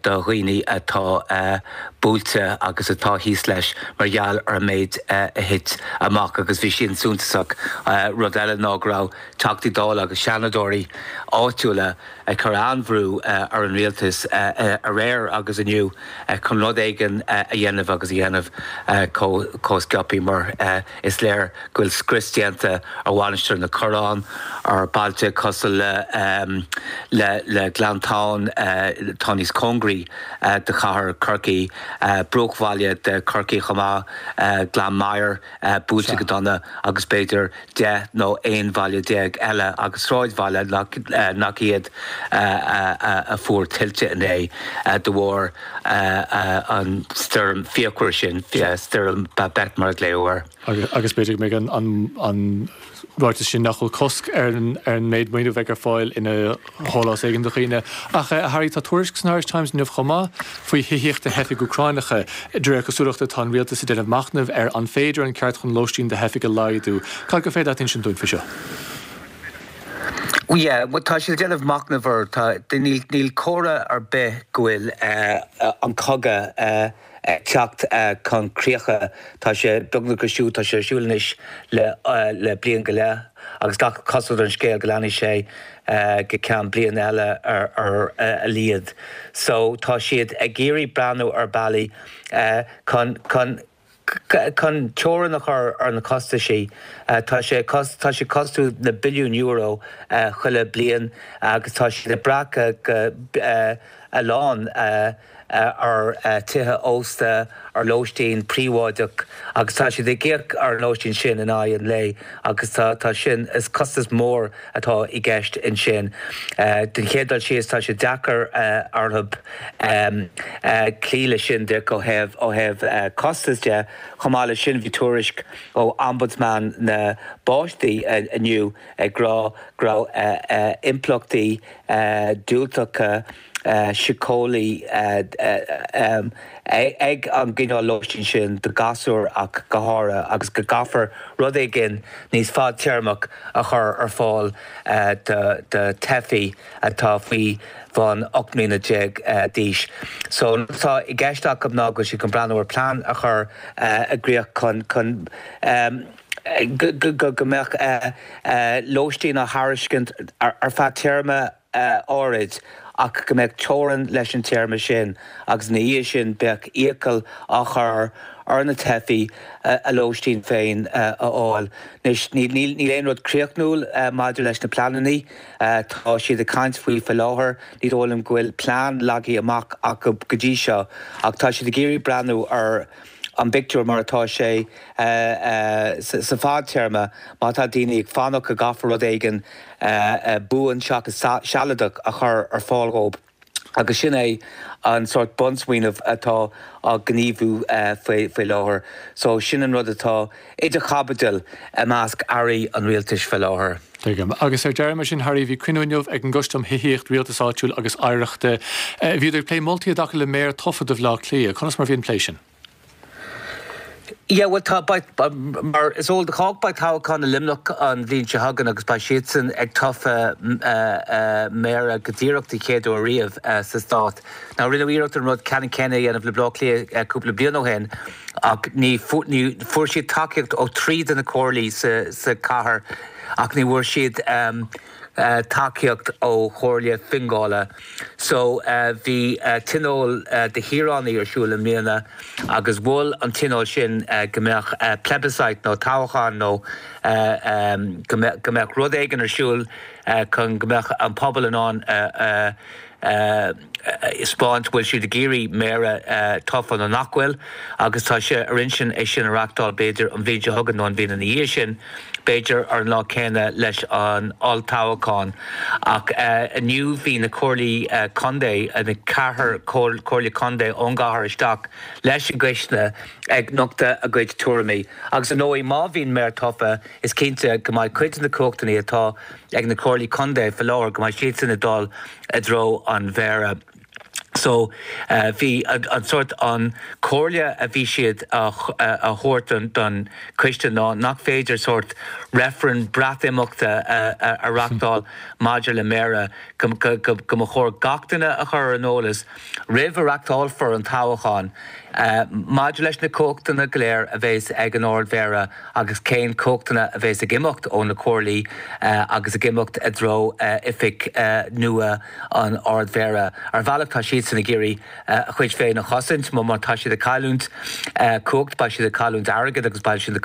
do dhaoine atá buailte agus atá thíos leis mar gheall ar an méid a thit amach agus bhí sin suntasach. Rud eile ná go raibh Teachtaí Dála agus Seanadóirí áitiúla ag cur an-bhrú ar an rialtas aréir agus inniu chun rud éigin a dhéanamh agus a dhéanamh chomh sciobtha mar is léir go bhfuil scrios déanta ar Mhainistir na Corann, ar bailte cosúil le le Gleanntán atá níos cóngaraí do chathair Chorcaí, bruachbhaile de Chorcaigh chomh maith, Gleann Maghair buailte go dona agus b'fhéidir 10 nó 11 bhaile eile agus sráidbhaile nach iad a fuair tuilte inné de bharr an stoirm fíochmhar sin, Stoirm Babet mar a glaodh air. Agus b'fhéidir go mbeidh an ráiteas sin nach bhfuil cosc ar an méid maoiniú a bheidh ar fáil ina shólás éigin do dhaoine. Ach, a Harry, tá tuairisc san Irish Times inniu chomh maith faoi thithíocht do theifigh Úcráineacha. De réir cosúlachta, tá an rialtas ag déanamh machnaimh ar an féidir an ceart chun lóistín do theifigh a laghdú. Cad gur féidir leat a insint dúinn faoi seo? Yeah, bhuel tá siad ag déanamh machnaimh air. Tá, níl, níl comhartha ar bith go bhfuil an cogadh ag teacht chun críocha. Tá sé beagnach ar siúl, tá sé ar siúl anois le le bliain go leith agus gach cosúlacht ar an scéal go leanfaidh sé go ceann bliain eile ar ar a laghad. So tá siad ag iarraidh breathnú ar bealaí chun chun chun teorainn a chur ar na costaisí. Tá sé tá sé ag costú na billiúin euro chuile bliain agus tá siad ag brath go go a lán ar tithe ósta, ar lóistín príobháideach agus tá siad ag íoc ar an lóistín sin in aghaidh an lae agus tá tá sin, is costas mór atá i gceist ansin. Den chéad dul síos tá sé deacair orthu cloí leis sin de ó thaobh ó thaobh costas de. Chomh maith leis sin bhí tuairisc ó Ombudsman na bPáistí inniu ag rá go raibh impleachtaí diúltacha. síceolaí ag an gcineál lóistín sin do ghasúir ach go háirithe agus go gcaithfear rud éigin níos fadtéarmach a chur ar fáil do theifigh atá faoi bhun 18 mbliana d'aois. So an rud atá i gceist acu ná go bhfuil siad chun breathnú ar plean a chur i gcrích chun chun go mbeadh lóistín á thairiscint ar feadh téarma áirid ach go mbeadh teorainn leis an téarma sin agus ina dhiaidh sin bheadh iachall á chur ar na teifigh a lóistín féin a fháil. Anois, níl aon rud críochnúil maidir leis na pleananna. Tá siad ag caint faoi faoi láthair. Ní dóigh liom go bhfuil plean leagtha amach acu go dtí seo ach tá siad ag iarraidh breathnú ar an bpictiúr mar atá sé sa bhfadtéarma, má tá daoine ag fanacht go gcaithfear rud éigin buan seachas sealadach a chur ar fáil dhóibh. Agus sin é an sórt bunsmaoineamh atá á ghníomhú faoi láthair. So sin an rud atá idir chaibidil i measc airí an rialtais faoi láthair. Tuigim. Agus ar deireadh, mar sin, Harry, bhí cruinniú inniu ag an gCoiste um Thithíocht, Rialtas Áitiúil agus Oidhreachta. Bhíodar ag plé moltaí i dtaca le méara tofa do Bhaile Átha Cliath. Conas mar a bhí an plé sin? Yeah, bhuel tá, beidh, mar is eol do chách, beidh toghchán i Luimneach an bhliain seo chugainn agus beidh siadsan ag tofa méara go díreach den chéad uair riamh sa stát. Now rinneadh iarracht an rud ceannann céanna a dhéanamh le Baile Átha Cliath cúpla bliain ó shin ach ní, ní, fuair siad tacaíocht ó thrí de na comhairlí sa, sa chathair ach ní bhfuair siad tacaíocht ó Chomhairle Fionnghaile. So bhí tionól de shaoránaigh ar siúl i mbliana agus mhol an tionól sin go mbeadh plebiscite nó toghchán nó go mbeadh rud éigin ar siúl chun go mbeadh an pobal in ann a 'spáint bhfuil siad ag iarraidh méara tofa nó nach bhfuil agus tá sé ar intinn é sin a reachtáil b'fhéidir an bhliain seo chugainn nó an bhliain ina dhiaidh sin, b'fhéidir ar an lá céanna leis an olltoghchán. Ach inniu bhí na comhairlí contae, na ceathrar comhairle contae ón gcathair isteach leis an gcoiste ag nochtadh a gcuid tuairimí. Agus ar ndóigh má bhíonn méara tofa is cinnte go mbeidh cuid de na cumhachtanna atá ag na comhairlí contae faoi láthair, go mbeidh siadsan ag dul i dtreo an mhéara. So bhí an sórt, an comhairle a bhí siad a thabhairt don choiste ná nach féidir sórt reifreann Breatimeachta a reachtáil maidir le méara, go mba chóir gach duine a chur ar an eolas roimh a reachtálfar an toghchán maidir leis na cumhachtanna go léir a bheas ag an Ard-Mhéara. agus cén cumhachtanna a bheas ag imeacht ó na comhairlí agus ag imeacht i dtreo oifig nua an Ard-Mhéara. Ar bhealach tá siadsan ag iarraidh a chuid féin a chosaint, má tá siad ag cailliúint cumhacht beidh siad ag cailliúint airgid agus beidh siad ag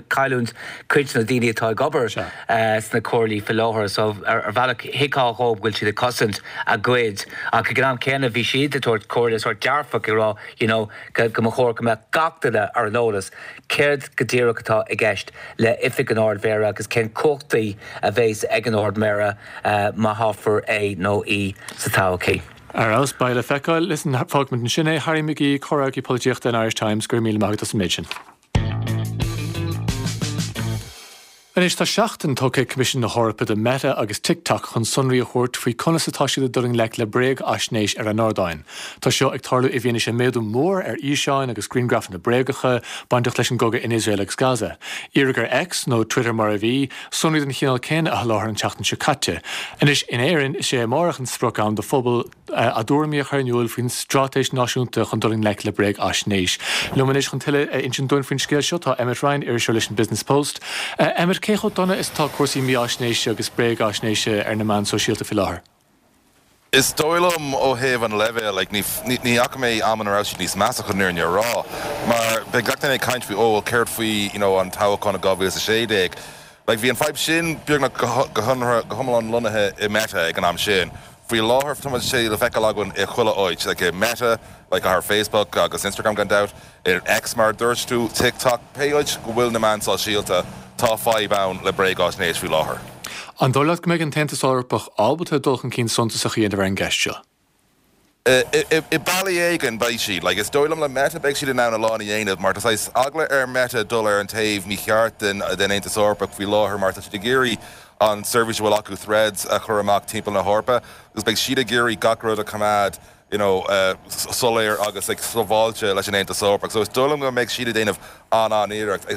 cailliúint cuid de na daoine atá ag obair sna comhairlí faoi láthair. So ar bhealach thuigfeá dhóibh go bhfuil siad ag cosaint a gcuid ach ag an am céanna bhí siad ag tabhairt comhairle sórt dearfach ag rá you know go mba chóir go mbeadh gach duine ar an eolas Céard go díreach atá i gceist le Oifig an Ard-Mhéara agus cén cumhachtaí a bheas ag an Ard-Mhéara má thoghfar é nó í sa todhchaí? Ar fheabhas, beidh le feiceáil. Listen, fágfaimid ansin é. Harry McGee, Comhfhreagraí Polaitíochta an Irish Times, go raibh míle maith agat as an méid sin. Anois tá seachtain tugtha ag Coimisiún na hEorpa do Meta agus TikTok chun sonraí a thabhairt faoi conas atá siad ag dul i ngleic le bréagaisnéis ar a n-ardáin. Tá seo ag tarlú i bhfianaise méadú mór ar fhíseáin agus griangrafanna bréagacha bainteach leis an gcogadh in Iosrael agus Gaza. Iarradh ar X, nó Twitter mar a bhí, sonraí den chineál céanna a sholáthar an tseachtain seo caite. Anois in Éirinn, is é amárach an sprioc-am do phobal, a dtuairimí a chur in iúl faoin straitéis náisiúnta chun dul i ngleic le bréagaisnéis. Liom anois chun tuilleadh a insint dúinn faoin scéal seo tá Emmet Ryan, iriseoir leis an Business Post. Emmet, cé chomh dona is atá cúrsaí mífháisnéise agus bréagaisnéise ar na meáin sóisialta faoi láthair? Is dóigh liom ó thaobh an leibhéil, like, ní, ní fhaca mé am ina raibh siad níos measa chun an fhírinne a rá. Mar beidh gach duine ag caint faoi, oh well céard faoi, you know, an toghchán i 2016. Like, bhí an fadhb sin beagnach go, go hiomlán lonnaithe i Meta ag an am sin. Faoi láthair tá sé le feiceáil againn i chuile áit, like i Meta, like ar Facebook agus Instagram gan dabht, ar X mar a dúirt tú, TikTok, pé áit go bhfuil na meáin sóisialta, tá fadhb ann le bréagáisnéis faoi láthair. An dóigh leat go mbeidh an tAontas Eorpach ábalta dul chun cinn suntasach a dhéanamh ar an gceist seo? I bealaí éigin beidh siad. Like is dóigh liom le Meta beidh siad in ann a lán a dhéanamh mar tá saghas eagla ar Meta dul ar an taobh mícheart den den Aontas Eorpach faoi láthair mar tá siad ag iarraidh. an seirbhís a bhfuil acu Threads a chur amach timpeall na hEorpa agus beidh siad ag iarraidh gach rud a choimeád you know soiléir agus like sábháilte leis an Aontas Eorpach. So is dóigh liom go mbeidh siad ag déanamh an-an-iarracht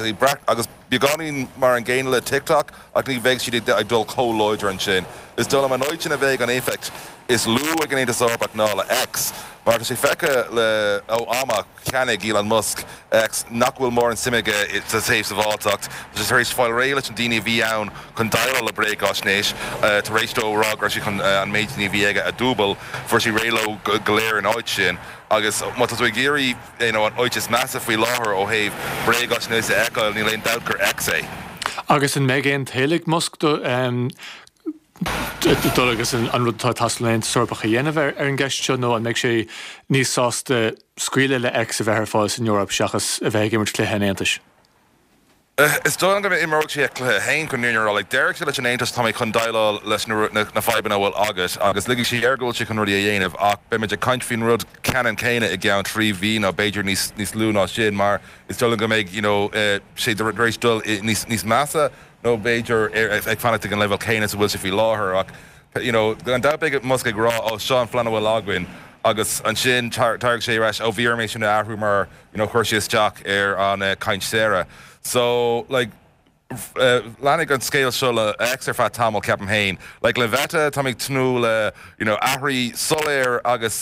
agus beagáinín mar an gcéanna le TikTok ach ní bheidh siad ag dul chomh láidir ansin. Is dóigh liom an áit ina bheidh an éifeacht is lú ag an Aontas Eorpach ná le X mar tá sé feicthe le ó am a cheannaigh Elon Musk X nach bhfuil mórán suim aige sa taobh sábháilteacht. Tá sé tar éis fáil réidh leis na daoine a bhí ann chun déileáil le bréagaisnéis. Tar éis dó a rá go raibh sé chun an méid daoine a bhí aige a dúbail, fuair sé réidh leo go léir in áit sin. Agus má tá tú ag iarraidh you know an áit is measa faoi láthair ó thaobh bréagaisnéis a fheiceáil, níl aon dabht gur X é. Agus an mbeidh aon toil ag Musk do dul agus an rud atá ag teastáil ón Aontas Eorpach a dhéanamh ar an gceist seo nó an mbeidh sé níos sásta scaoileadh le X a bheith ar fáil san Eoraip seachas a bheith ag imirt cluiche an Aontais? Is dóigh liom go n-imreoidh sé a chluiche féin chun an fhírinne a rá. Like, déarfaidh sé leis an Aontas tá mé chun déileáil leis na fadhbanna a bhfuil agat agus ligfidh sé air go bhfuil sé chun rudaí a dhéanamh ach beimid ag caint faoin rud ceannann céanna i gceann 3 mhí nó b'fhéidir níos níos lú ná sin mar is dóigh liom go mbeidh you know sé tar éis dul níos níos measa nó b'fhéidir ag fanacht ag an leibhéal céanna is a bhfuil sé faoi láthair ach you know gan dabht beidh Musk ag rá ó seo an phlean a bhfuil againn agus ansin tabharfaidh sé ar ais ó bhí orm é sin a athrú mar you know chuir sé isteach ar an caint saor so like leanfaidh an scéal seo le X ar feadh tamaill ceapaim féin like le Meta táim ag tnúth le you know athrú soiléir agus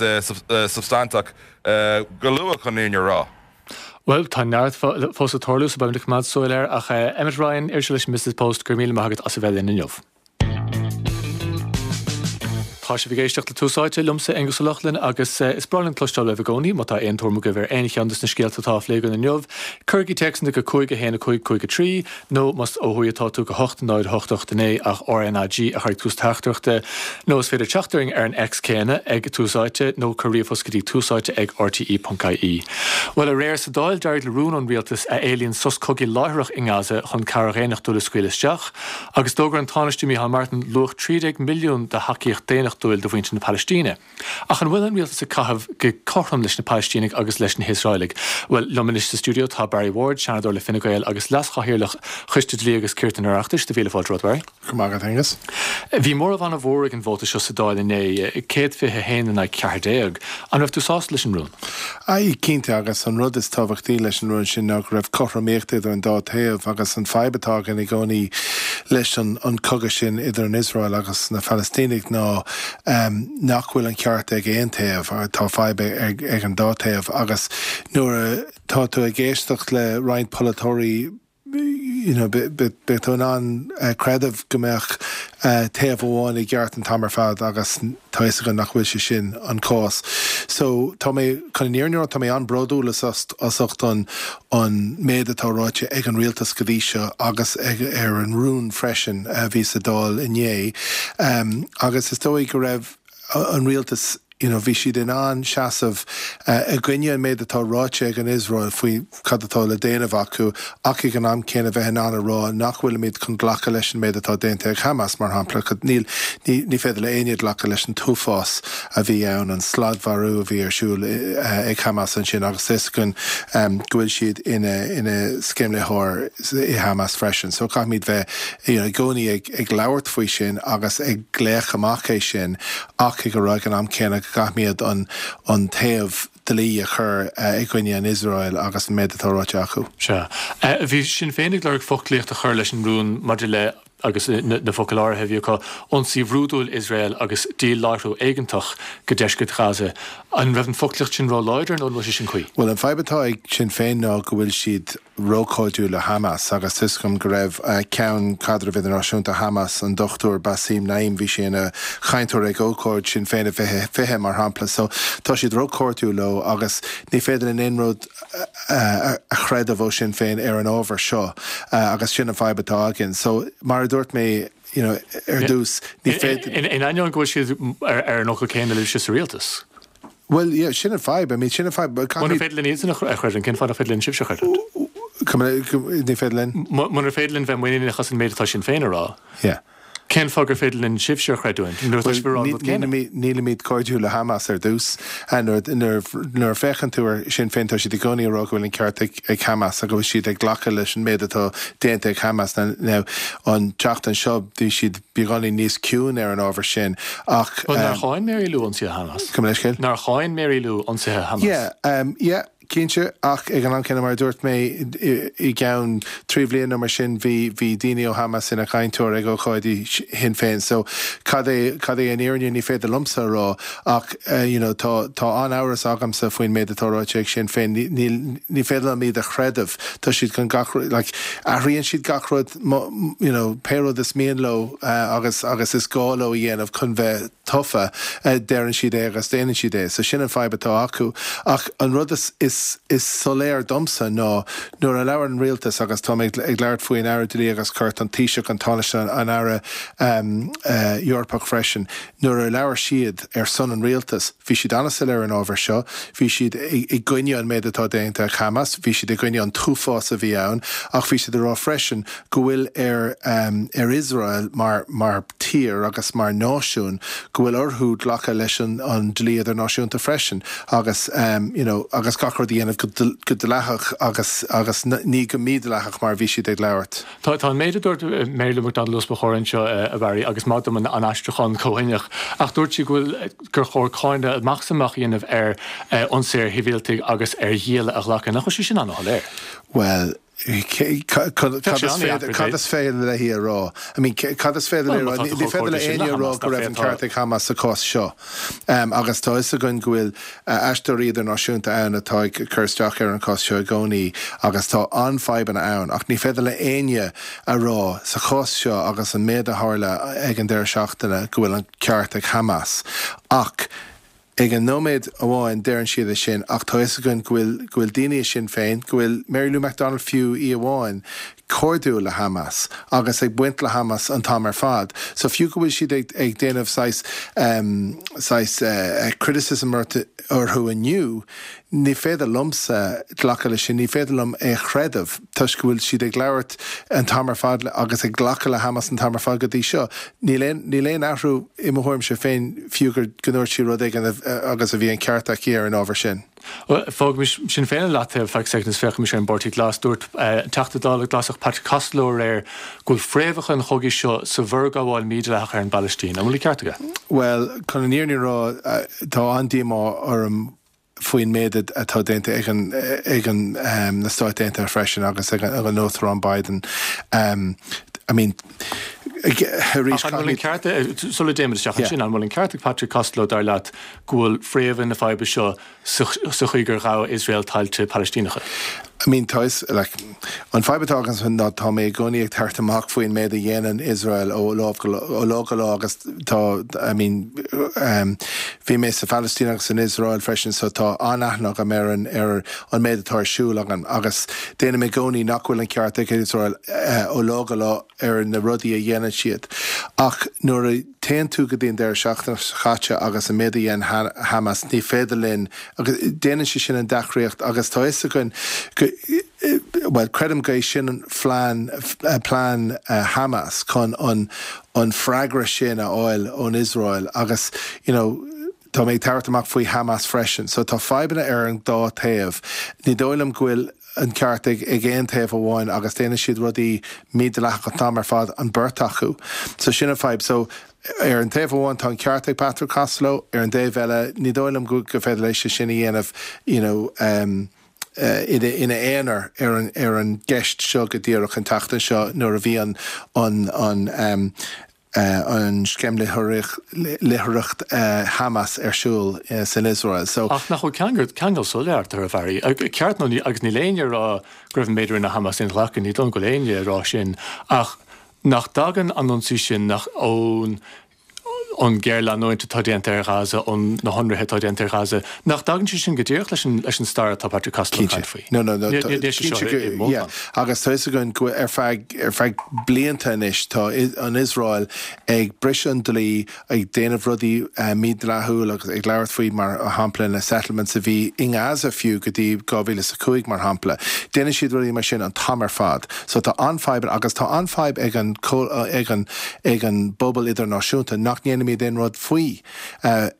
substainteach go luath chun an fhírinne a rá. Bhuel, tá neart fós ag tarlú, so beimid ag coimeád súil air. Ach Emmet Ryan, iriseoir leis an Business Post, go raibh míle maith agat as a bheith linn inniu. Tá sibh ag éisteacht le Tús Áite, liomsa Aengus Ó Lochlainn, agus is breá linn cloisteáil uaibh i gcónaí. Má tá aon tuairim agaibh ar aon cheann de na scéalta atá á phlé againn inniu, cuirigí téacsanna go 5 1 5 5 3, nó más ó thuaidh atá tú go 8 0 8 8 9 ach RnaG a chur ag tús teachtaireachta, nó is féidir teacht orainn ar an X céanna ag Tús Áite nó cuir ríomhphost go dtí túsáite ag rte.ie. Bhuel, aréir sa Dáil d'éirigh le rún ón rialtas a éilíonn sos cogaidh láithreach i nGaza chun cabhair dhaonnachtúil a scaoileadh isteach, agus d'fhógair an Tánaiste Micheál Martin luach 13 milliún de thacaíocht daonnachtúil do mhuintir na Palaistíne. Ach an bhfuil an rialtas ag caitheamh go cothrom leis na Palaistínigh agus leis na hIosraelaigh? Bhuel, liom anois sa stiúideo tá Barry Ward, Seanadóir le Fine Gael agus Leas-Chathaoirleach Choiste Dlí agus Cirt an Oireachtais. Tá mhíle fáilte romhat, Barry. Go raibh maith agat, Aengus. Bhí móramh an-mhór ag an vóta seo sa Dáil inné, 121 in aghaidh 14. An raibh tú sásta leis an rún? Aye, cinnte, agus an rud is tábhachtaí leis an rún sin ná go raibh cothromaíocht idir an dá taobh agus an fadhb atá againn i gcónaí leis an cogadh sin idir an Iosrael agus na Phalaistínigh ná nach bhfuil an ceart ag aon taobh, tá fadhb ag an dá taobh agus nuair atá tú ag éisteacht le roinnt polaiteoirí you know beidh tú in ann creideamh go mbeadh taobh amháin i gceart an t-am ar fad agus tá fhios againn nach bhfuil sé sin an cás. So tá mé, chun an fhírinne a rá, tá mé an-bhródúil as ucht an an méid atá ráite ag an rialtas go dtí seo agus ar an rún freisin a bhí sa Dáil inné agus is dóigh go raibh an rialtas you know bhí siad in ann seasamh i gcoinne an méid atá ráite ag an Iosrael faoi cad atá le déanamh acu ach ag an am céanna bheith in ann a rá nach bhfuilimid chun glacadh leis an méid atá déanta ag Hamas mar shampla níl ní féidir le éinne glacadh leis an t-uafás a bhí ann, an sladmharú a bhí ar siúl ag Hamas ansin agus tá fhios againn go bhfuil siad ina ina sceimhlitheoir i Hamas freisin. So caithfimid bheith you know i gcónaí ag ag labhairt faoi sin agus ag glaoch amach é sin ach ag rá ag an am céanna go gcaithfimid an an taobh dlí a chur i gcoinne an Iosrael agus an méid atá ráite acu. Sea. Bhí Sinn Féin ag lorg foclaíocht a chur leis an rún maidir le agus na focail áirithe a bhí acu, ionsaí bhrúidiúil Iosrael agus díláithriú éigeantach go deisceart Ghaza. An raibh an foclaíocht sin róláidir nó an bhfuil sé sin cuí? Bhuel, an fadhb atá ag Sinn Féin ná go bhfuil siad róchairdiúil le Hamas agus tá 'fhios agam go raibh Ceann Caidrimh Idirnáisiúnta Hamas, an Dr Bassem Naim, bhí sé ina chainteoir ag ócáid Sinn Féin i 2020, mar shampla. So, tá siad róchairdiúil leo agus ní féidir linn aon rud a chreideamh ó Sinn Féin ar an ábhar seo agus sin an fadhb atá againn. So, mar a dúirt mé, you know, ar dtús, ní féidir. In ainneoin go bhfuil siad ar an fhocal céanna libhse sa rialtas. Bhuel, yeah, sin an fadhb. I mean, sin an fadhb. Munar féidir linn iadsan a chreidiúint, cén fáth nach féidir linn sibhse a chreidiúint? Ní féidir linn? Munar féidir linn bheith muiníneach as an méid atá Sinn Féin a rá. Yeah. Cén fáth gur féidir linn sibhse a chreidiúint nuair atá sibh ag rá an rud céanna? Nílimid cairdiúil le Hamas ar dtús. Nuair a féachann tú ar Sinn Féin tá siad i gcónaí ag rá go bhfuil an ceart ag Hamas agus go bhfuil siad ag glacadh leis an méid atá déanta ag Hamas. Now an tseachtain seo bhí siad beagáinín níos ciúin ar an ábhar sin ach. Bhuel nár cháin Mary Lou ionsaithe Hamas? Gabh mo leithscéal? Nár cháin Mary Lou ionsaithe Hamas? Yeah, yeah. Cinnte, ach ag an am céanna, mar a dúirt mé, i gceann 3 bhliain nó mar sin, bhí bhí daoine ó Hamas ina gcainteoir ag ócáidí Shinn Féin. So, cad é cad é an fhírinne, ní féidir liomsa a rá, ach you know tá tá an-amhras agamsa faoin méid atá ráite ag Sinn Féin. Ní níl ní féidir liom iad a chreideamh. Tá siad chun gach rud like athraíonn siad gach rud you know pé rud is mian leo agus agus is gá leo a dhéanamh chun bheith tofa, deireann siad é agus déanann siad é. So sin an fadhb atá acu. Ach an rud is is is soiléir domsa ná nuair a labhair an rialtas, agus tá mé ag labhairt faoin Aire Dlí agus Cirt, an Taoiseach, an Tánaiste, an Aire Eorpach freisin, nuair a labhair siad ar son an rialtais, bhí siad an-soiléir ar an ábhar seo, bhí siad i gcoinne an méid atá déanta ag Hamas, bhí siad i gcoinne an t-uafás a bhí ann, ach bhí siad ag rá freisin go bhfuil ar ar Iosrael mar mar tír agus mar náisiún go bhfuil orthu glacadh leis an an dlí idirnáisiúnta freisin agus you know agus gach rud a dhéanamh go go dleathach agus agus ní go mídhleathach mar a bhí siad ag labhairt. Tá tá an méid a dúirt Mary Lou McDonald os mo chomhair anseo a Bharry agus maith dom an an aistriúchán comhuaineach ach dúirt sí go bhfuil gur chóir cáineadh amach is amach a dhéanamh ar ionsaí ar shibhialtaigh agus ar ghialla a ghlacadh. Nach bhfuil sé sin an-shoiléir? Bhuel Cad is féidir léi a rá? I mean, cad is féidir léi a rá? Ní féidir le éinne a rá go raibh an ceart ag Hamas sa chás seo. Agus tá fhios againn go bhfuil aisteoirí idirnáisiúnta ann atá ag cur isteach ar an chás seo i gcónaí agus tá an-fhadhbanna ann. Ach ní féidir le éinne a rá sa chás seo agus an méid a tharla ag an deireadh seachtaine go bhfuil an ceart ag Hamas. Ach Ag an nóiméad amháin deireann siad é sin ach tá fhios againn go bhfuil, go bhfuil daoine i Sinn Féin, go bhfuil Mary Lou McDonald fiú í amháin, cairdiúil le Hamas agus ag baint le Hamas an t-am ar fad. So fiú go bhfuil siad ag, ag déanamh saghas, saghas criticism orthu inniu, Ní féidir liomsa glacadh leis sin, ní féidir liom é a chreideamh, toisc go bhfuil siad ag labhairt an t-am ar fad agus ag glacadh le Hamas an t-am ar fad go dtí seo. Níl aon, níl aon athrú i mo thuairimse féin, fiú gur, go ndúirt sí rud éigin agus a bhí an ceart aici ar an ábhar sin. Bhuel, fágaimis Sinn Féin i leataobh ar feadh soicind is féachaimis ar an bPáirtí Glas. Dúirt an Teachta Dála Glasach Patrick Costello aréir go bhfuil fréamhacha an chogaidh seo sa bhforghabháil mhídhleathach ar an bPalaistín. An bhfuil an ceart aige? Bhuel, chun an fhírinne a rá, tá an-díomá orm faoin méid atá déanta ag an ag an na Stáit Aontaithe freisin agus ag an Uachtarán Biden. I mean, arís, Ach an bhfuil an ceart, sula dtéimid isteach ansin, an bhfuil an ceart ag Patrick Costello, dar leat, go bhfuil fréamha na faidhbe seo sa chaoi gur ghabh Iosrael tailte Palaistíneacha? I mean, tá fhios, like, an fadhb atá agam ná tá mé i gcónaí ag tabhairt amach faoin méid a dhéanann Iosrael ó lá go ó lá go lá agus tá, I mean, um, bhí mé sa Phalaistín agus san Iosrael freisin so tá an-aithne agam ar an ar an méid atá ar siúl agam agus déanaim i gcónaí nach bhfuil an ceart ag Iosrael uh, ó lá go lá ar na rudaí a dhéanann siad. Ach nuair a téann tú go dtí an deireadh seachtaine seo caite agus an méid a dhein Hamas, ní féidir linn, agus déanann sé sin an deacraíocht agus tá fhios againn go, bhuel, creidim go é sin an phlean, plean Hamas chun an an freagra sin a fháil ón Iosrael agus, you know, tá mé ag tabhairt amach faoi Hamas freisin. So tá fadhbanna ar an dá taobh. Ní dóigh liom go bhfuil an ceart ag ag aon taobh amháin agus déanann siad rudaí mídhleathach an t-am ar fad, an beirt acu. So sin an fadhb. So ar an taobh amháin tá an ceart ag Patrick Costello, ar an dtaobh eile ní dóigh liom go go féidir leis sin a dhéanamh you know um, ina ina aonar ar an ar an gceist seo go díreach an tseachtain seo nuair a bhí an an an um, an sceimhlitheoireacht Hamas ar siúl san Iosrael. So. Ach nach bhfuil ceangal, ceangal soiléir eatarthu, a Bharry? Ceart nó ní, agus níl éinne ag rá go raibh an méid a rinne Hamas inghlactha, ní dóigh liom go bhfuil éinne ag rá sin, ach nach dtagann an ionsaí sin, nach ón. An ghéarleanúint atá déanta ar Ghaza, ón na hionraithe atá déanta ar Ghaza, nach dtagann sé sin go díreach leis an leis an stair atá Patrick Costello ag caint faoi? No, no, no, cinnte go, yeah. Agus tá fhios againn go ar feadh, ar feadh blianta anois tá an Iosrael ag briseadh an dlí, ag déanamh rudaí mídhleathúil agus ag labhairt faoi mar shampla na settlements a bhí i nGaza fiú go dtí 2005 mar shampla. Déanann siad rudaí mar sin an t-am ar fad. So tá an-fhadhb agus tá an-fhadhb ag an, ag an, ag an bpobal idirnáisiúnta nach ndéanaimid aon rud faoi.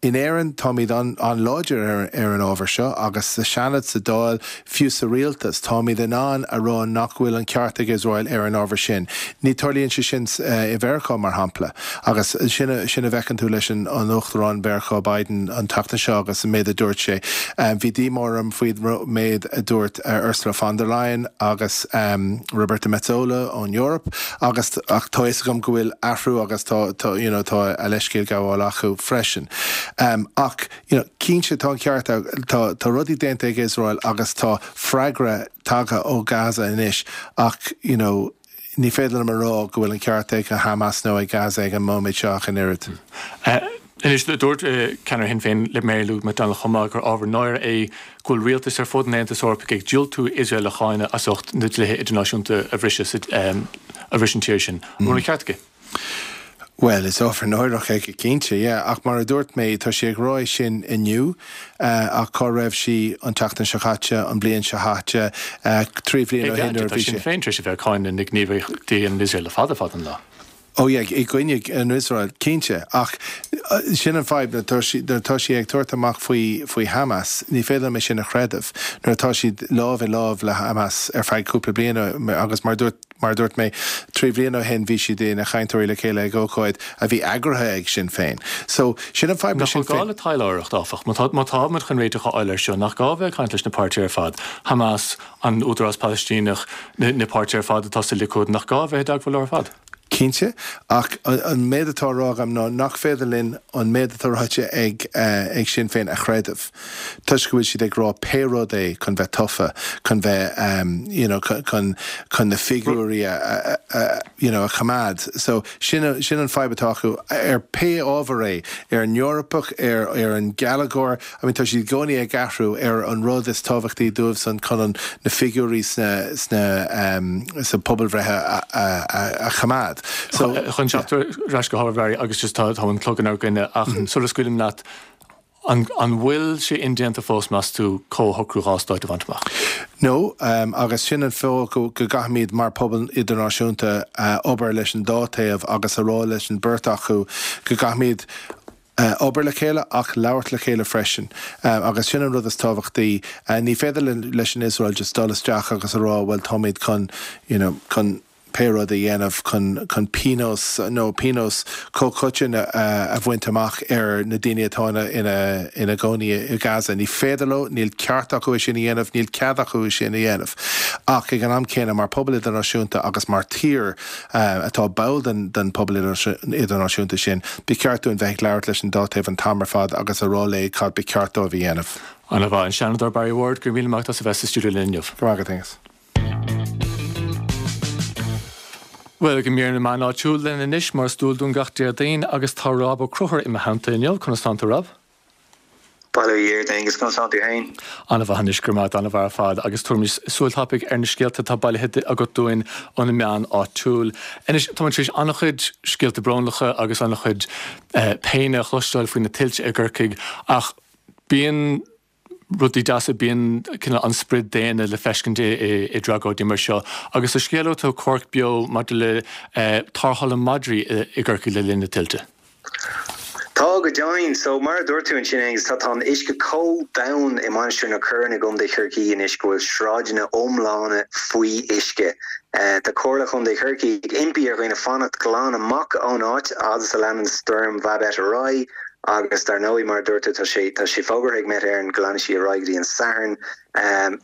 In Éirinn, táimid an-láidir ar an ábhar seo agus sa Seanad, sa Dáil, fiú sa rialtas, táimid in ann a rá nach bhfuil an ceart ag Iosrael ar an ábhar sin. Ní tarlaíonn sé sin i Mheiriceá, mar shampla. Agus sin a bhfeiceann tú leis an Uachtarán Mheiriceá Biden an tseachtain seo agus an méid a dúirt sé. Bhí díomá orm faoin méid a dúirt Ursula von der Leyen agus Roberta Metsola ón Eoraip agus ach tá fhios agam go bhfuil athrú agus tá tá you know tá a leithscéal gabháil acu freisin. Ach you know cinnte tá an ceart tá tá rudaí déanta ag Iosrael agus tá freagra tagtha ó Gaza anois ach you know ní féidir liom a rá go bhfuil an ceart ag Hamas nó ag Gaza ag an móiméad seo ach an oiread. Anois, dúirt ceannaire Shinn Féin Mary Lou McDonald chomh maith gur ábhar náire é go bhfuil rialtais ar fud an Aontais Eorpaigh ag diúltú Iosrael a cháineadh as ucht na dlíthe idirnáisiúnta a bhriseadh a bhris an tír sin. An bhfuil an ceart aici? Bhuel, is ábhar náireach é go cinnte, yeah. Ach mar a dúirt mé, tá sí ag rá é sin inniu, ach cá raibh sí an tseachtain seo caite, an bhliain seo caite, 3 bhliain ó shin nuair a bhí sí. Tá Sinn Féin tar éis a bheith ag cáineadh na gníomhaíochtaí in Iosrael le fada fada an lá. Oh yeah, i gcoinne an Iosrael, cinnte. Ach sin an fadhb, nuair atá sí, nuair atá sí ag tabhairt amach faoi, faoi Hamas, ní féidir liom é sin a chreideamh. Nuair atá siad lámh i lámh le Hamas ar feadh cúpla bliain agus mar dúirt, mar a dúirt mé, 3 bhliain ó shin bhí siad ina chainteoirí le chéile ag ócáid a bhí eagraithe ag Sinn Féin. So, sin an fadhb le Nach Sinn bhfuil gá Féin. le taidhleoireacht, áfach? Má tá, má tá muid chun réiteach a fháil air seo, nach gá a bheith ag caint leis na páirtithe ar fad, Hamas, an Údarás Palaistíneach, na páirtithe ar fad atá sa Likud, nach gá a bheith i dteagmháil leo ar fad? Cinnte, ach an méid atá á rá agam ná nach féidir linn an méid atá ráite ag ag Sinn Féin a chreideamh toisc go bhfuil siad ag rá pé rud é chun bheith tofa, chun bheith you know chun chun na figiúirí a a you know a choimeád. So sin sin an fadhb atá acu ar pé ábhar é, ar an Eorpach, ar ar an geilleagar, I mean tá siad i gcónaí ag athrú ar an rud is tábhachtaí dóibhsan chun an na figiúirí sna sna sa pobalbhreith a a a choimeád. So Chun teacht ar ais go hábhar Bharry agus just tá tá an clog inár gcoinne ach sula scaoilim leat an an bhfuil sé indéanta fós meas tú comhshocrú 2 stáit a bhaint amach? No, agus sin an fáth go go gcaithfimid mar pobal idirnáisiúnta obair leis an dá taobh agus a rá leis an beirt acu go gcaithfimid obair le chéile ach labhairt le chéile freisin agus sin an rud is tábhachtaí. Ní féidir leis an Iosrael just dul isteach agus a rá bhuel táimid chun you know chun pé rud a dhéanamh chun chun pionós nó pionós comhchoiteann a bhaint amach ar na daoine atá ina ina ina gcónaí i Gaza. Ní féidir leo, níl ceart acu é sin a dhéanamh, níl cead acu é sin a dhéanamh. Ach ag an am céanna mar pobal idirnáisiúnta agus mar tír, atá ball den pobal idirnáisiúnta sin, ba cheart dúinn bheith ag labhairt leis an dá taobh an t-am ar fad agus a rá leo cad ba cheart dóibh a dhéanamh. An-mhaith. An Seanadóir Barry Ward, go raibh míle maith agat as a bheith sa stiúideo linn inniu. Go raibh maith agat, Aengus. Bhuel, go mír na meán áitiúil linn anois, mar is dual dúinn gach Déardaoin, agus tá Rob Ó Conchúir i mo theannta inniu. Conas tánn tú, Rob? Bail ó Dhia ort, Aengus, conas tánn tú féin? An-mhaith anois, go raibh maith agat, an-mhaith ar fad, agus tabharaimis súil thapaidh ar na scéalta atá bailithe agat dúinn ó na meáin áitiúil. Anois, tá muid tar éis an-chuid scéalta brónacha agus an-chuid péine a chloisteáil faoi na tuilte i gCorcaigh, ach bíonn rudaí deasa, bíonn cineál an sprid daonna le feiscint i dtragóidí mar seo. Agus tá scéal agat ó Cork Beo maidir le tarrtháil na madraí i gCorcaigh le linn na tuilte. Tá, go deimhin. So, mar a dúirt tú ansin, Aengus, tá, tá an uisce chomh domhain i Mainistir na Corann i gContae Chorcaí anois go bhfuil sráideanna iomlána faoi uisce. Tá Comhairle Chontae Chorcaí ag impí ar dhaoine fanacht glan amach ón áit fhad is a leanann Stoirm Bhabette ar aghaidh agus dar ndóigh, mar a dúirt tú, tá sé, tá sé fógartha ag Met Éireann go leanfaidh sí ar aghaidh go dtí an Satharn.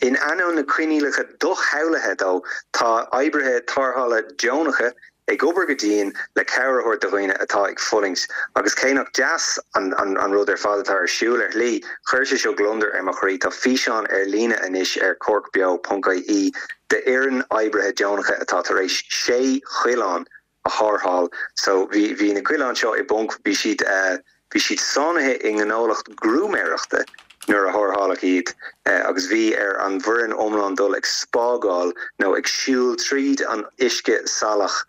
In ainneoin na coinníollacha doshamhlaithe dó, tá oibrithe tarrthála deonacha ag obair go dian le cabhair a thabhairt do dhaoine atá ag fulaingt. Agus cé nach deas an an rud ar fad atá ar siúl ar shlí, chuir sé seo gliondar ar mo chroí. Tá físeán ar líne anois ar corkbeo.ie d'fhoireann oibrithe deonacha atá tar éis 6 choileán. a tharrtháil. So bhí bhí na coileáin seo i bponc, bhí siad bhí siad sáinnithe i ngnólacht grúmaeireachta nuair a tharrtháladh iad agus bhí ar an bhfoireann iomlán dul ag spágáil nó ag siúl tríd an uisce salach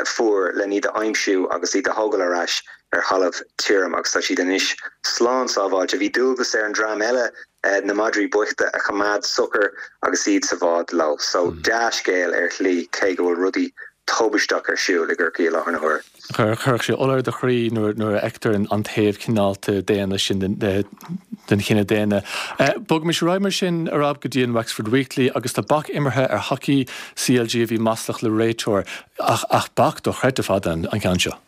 fuar len iad a aimsiú agus iad a thógáil ar ais ar thalamh tirim agus tá siad anois slán sábháilte. Bhí dualgas ar an dream eile na madraí boichta a choimeád socair agus iad sa bhád leo. So dea-scéal ar shlí cé go bhfuil rudaí tubaisteach ar siúl i gCorcaigh i láthair na huaire. Chuirfeadh sé ola ar do chroí nuair a fheictear an taobh cineálta daonna sin den chine daonna. Bogaimis ar aghaidh mar sin, a Rob, go dtí an Wexford Weekly agus tá bac imeartha ar thacaí CLG a bhí maslach le réiteoir, ach bac dochreidte fada an ceann seo.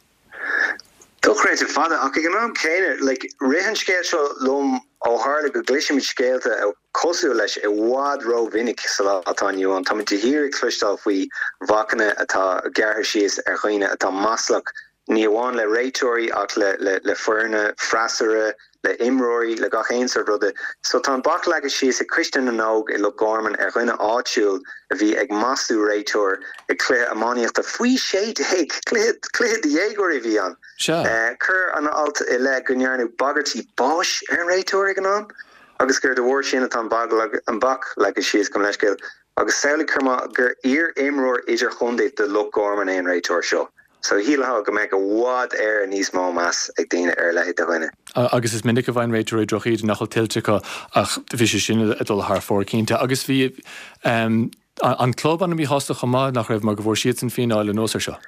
Dochreidte fada, ach ag an am céanna, like, rith an scéal seo liom ó tharla go gcloisimid scéalta cosúil leis i bhfad rómhinic sa lá atá inniu ann. Táimid de shíor ag cloisteáil faoi bhacanna atá gearrtha síos ar dhaoine atá maslach, ní amháin le réiteoirí ach le le foirne freasúra, le imreoirí, le gach aon sórt ruda. So tá an bac leagtha síos ag Coiste na nÓg i Loch Garman ar dhuine áitiúil a bhí ag maslú réiteoir ag cluiche iománaíochta faoi 16! Cluiche, cluiche do dhéagóirí a bhí ann. Sea. Cuir an alt i leith go ndearnadh bagairtí báis ar an réiteoir ag an am agus gur de bharr sin atá an an bac leagtha síos, gabh mo leithscéal. Agus samhlaigh chomh maith gur iar-imreoir idirchontae do Loch Garman é an réiteoir seo. So shílfeá go mbeadh i bhfad Éireann níos mó meas ag daoine ar a leithéid de dhuine. Agus is minic a bhfaigheann réiteoirí drochíde nach bhfuil tuillte acu ach bhí sé sin ag dul thar fóir cinnte. Agus bhí an club an-mhíshásta chomh maith, nach raibh, mar go bhfuair siadsan fíneáil anuas air seo.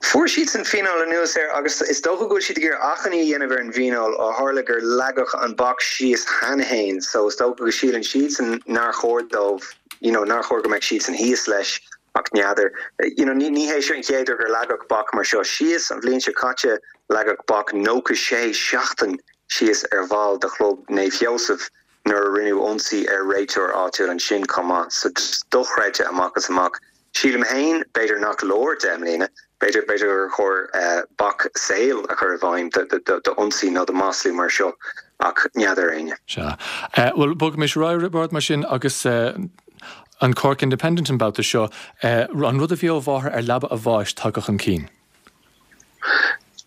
Fuair siadsan fíneáil anuas air agus is dócha go bhfuil siad ag iarraidh achainí a dhéanamh ar an bhfíneáil ó tharla gur leagadh an bac síos cheana féin so is dócha go síleann siadsan nár chóir dóibh, you know, nár chóir go mbeadh siadsan thíos leis. Ach n'fheadar. You know, ní hé seo an chéad uair gur leagadh bac mar seo síos. An bhliain seo caite, leagadh bac 96 seachtain síos ar bhall de chlub Naomh Sheosamh nuair a rinneadh ionsaí ar réiteoir áitiúil ansin chomh maith. So, just dochreidte amach is amach. Sílim féin, b'fhéidir nach leor 10 mbliana. B'fhéidir, b'fhéidir gur chóir bac saoil a chur i bhfeidhm d'ionsaí nó do mhaslú mar seo. Ach n'fheadar éinne. Sea. Bhuel, bogaimis ar aghaidh, Roibeárd, mar sin agus. An Cork Independent an babhta seo, an rud a bhí ó mháthair ar leaba a bháis tagtha chun cinn.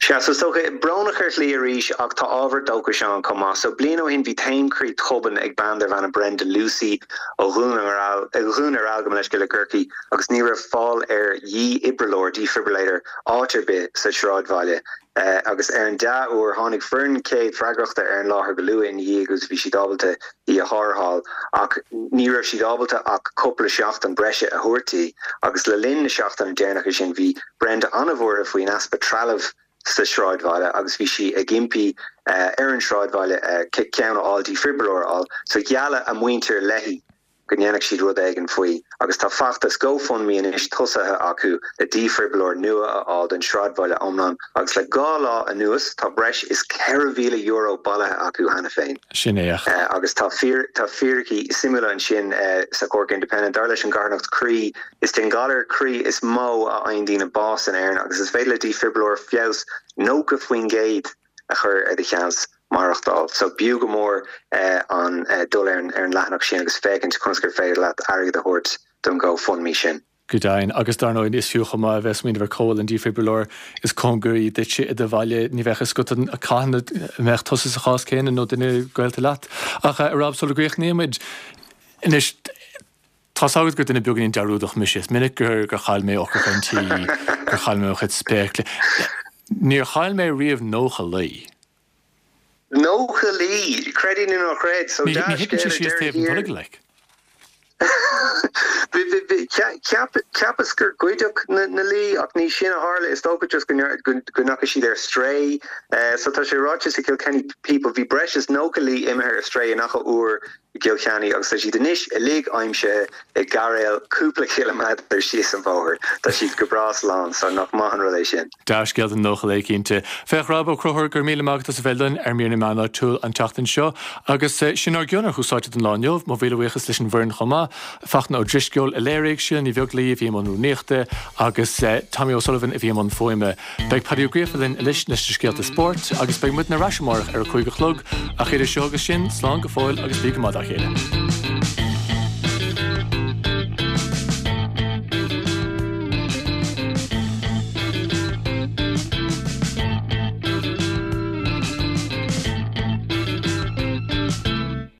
Sea, so is dócha, brónach ar shlí arís ach tá ábhar dóchais ann chomh maith. So bliain ó shin bhí taom croí tobann ag bean darbh ainm Brenda Lucey ó Dhún na nGall, Dhún ar Aill gabh mo leithscéal i gCorcaigh agus ní raibh fáil ar dhífhibrileoir, defibrillator, áit ar bith sa sráidbhaile. Agus ar an dea-uair, tháinig foireann chéad freagrachta ar an láthair go luath ina dhiaidh agus bhí siad ábalta í a tharrtháil. Ach ní raibh siad ábalta ach cúpla seachtain breise a thabhairt di. Agus le linn na seachtaine deireanacha sin, bhí Brenda an-bhuartha faoin easpa trealaimh sa sráidbhaile agus bhí sí ag impí ar an sráidbhaile ceann a fháil, defibrileoir a fháil. So gheall a muintir léi go ndéanfadh siad rud éigin faoi agus tá feachtas GoFundMe anois tosaithe acu le dífhribileoir nua a fháil don sráidbhaile iomlán agus le 2 lá anuas tá breis is €4,000 bailithe acu cheana féin. Sin é. Agus tá tá fíricí suimiúla ansin sa Cork Independent. Dar leis an gcarthanacht Croí, is den ghalar croí is mó a fhaigheann daoine bás in Éirinn agus is féidir le dífhibrileoir feabhas 90% a chur ar do sheans maireachtáil. So b'fhiú go mór an dul ar an leathanach sin agus féachaint conas gur féidir leat airgead a thabhairt don GoFundMe sin. Go deimhin. Agus dar ndóigh is fiú chomh maith a bheith ag smaoineamh ar cá bhfuil an dífhibrileoir is cóngaraí duitse i do bhaile. Ní bheadh fhios agat cathain a mbeadh tusa sa chás céanna nó duine gaolta leat. Ach a Rob, sula gcríochnaímid anois, Tá's agat gur duine beagáinín dearúdach mise. Is minic gur chaill mé eochracha an tí, gur chaill mé mo chuid spéaclaí. Níor chaill mé riamh 90 lao. 90 lao! Creid é nó ná creid. So Ní thiteann sé síos taobh an tolg, like. Cheapas gur goideadh na lao ach ní sin a tharla. Is dócha just go ndeachaigh siad ar strae. So tá sé ráite sa Kilkenny People, bhí breis is 90 lao imithe ar strae in Achadh Úr i gCill Chainnigh agus tá siad anois uilig aimsithe i gcairéal cúpla ciliméadar síos an bóthar. Tá siad go breá slán, so nach maith an rud é sin. Dea-scéal don 90 lao cinnte. Féach Rob Ó Conchúir, go raibh míle maith agat as a bheith linn ar Mír na Meán Áitiúil an tseachtain seo. Agus sin ár gcion ar Thús Áite don lá inniu. Mo mhíle buíochas leis an bhfoireann chomh maith, Fachtna Ó Drisceoil a léirigh, Síle Ní Bheaglaoí a bhí i mbun rúnaíochta agus Tommy O'Sullivan a bhí i mbun fuaime. Beidh Paddy Ó Gríofa linn anois leis na scéalta spóirt agus beidh muidne ar ais amárach ar a 5 a chlog, ach idir seo agus sin, slán go fóill agus bí go maith dá chéile.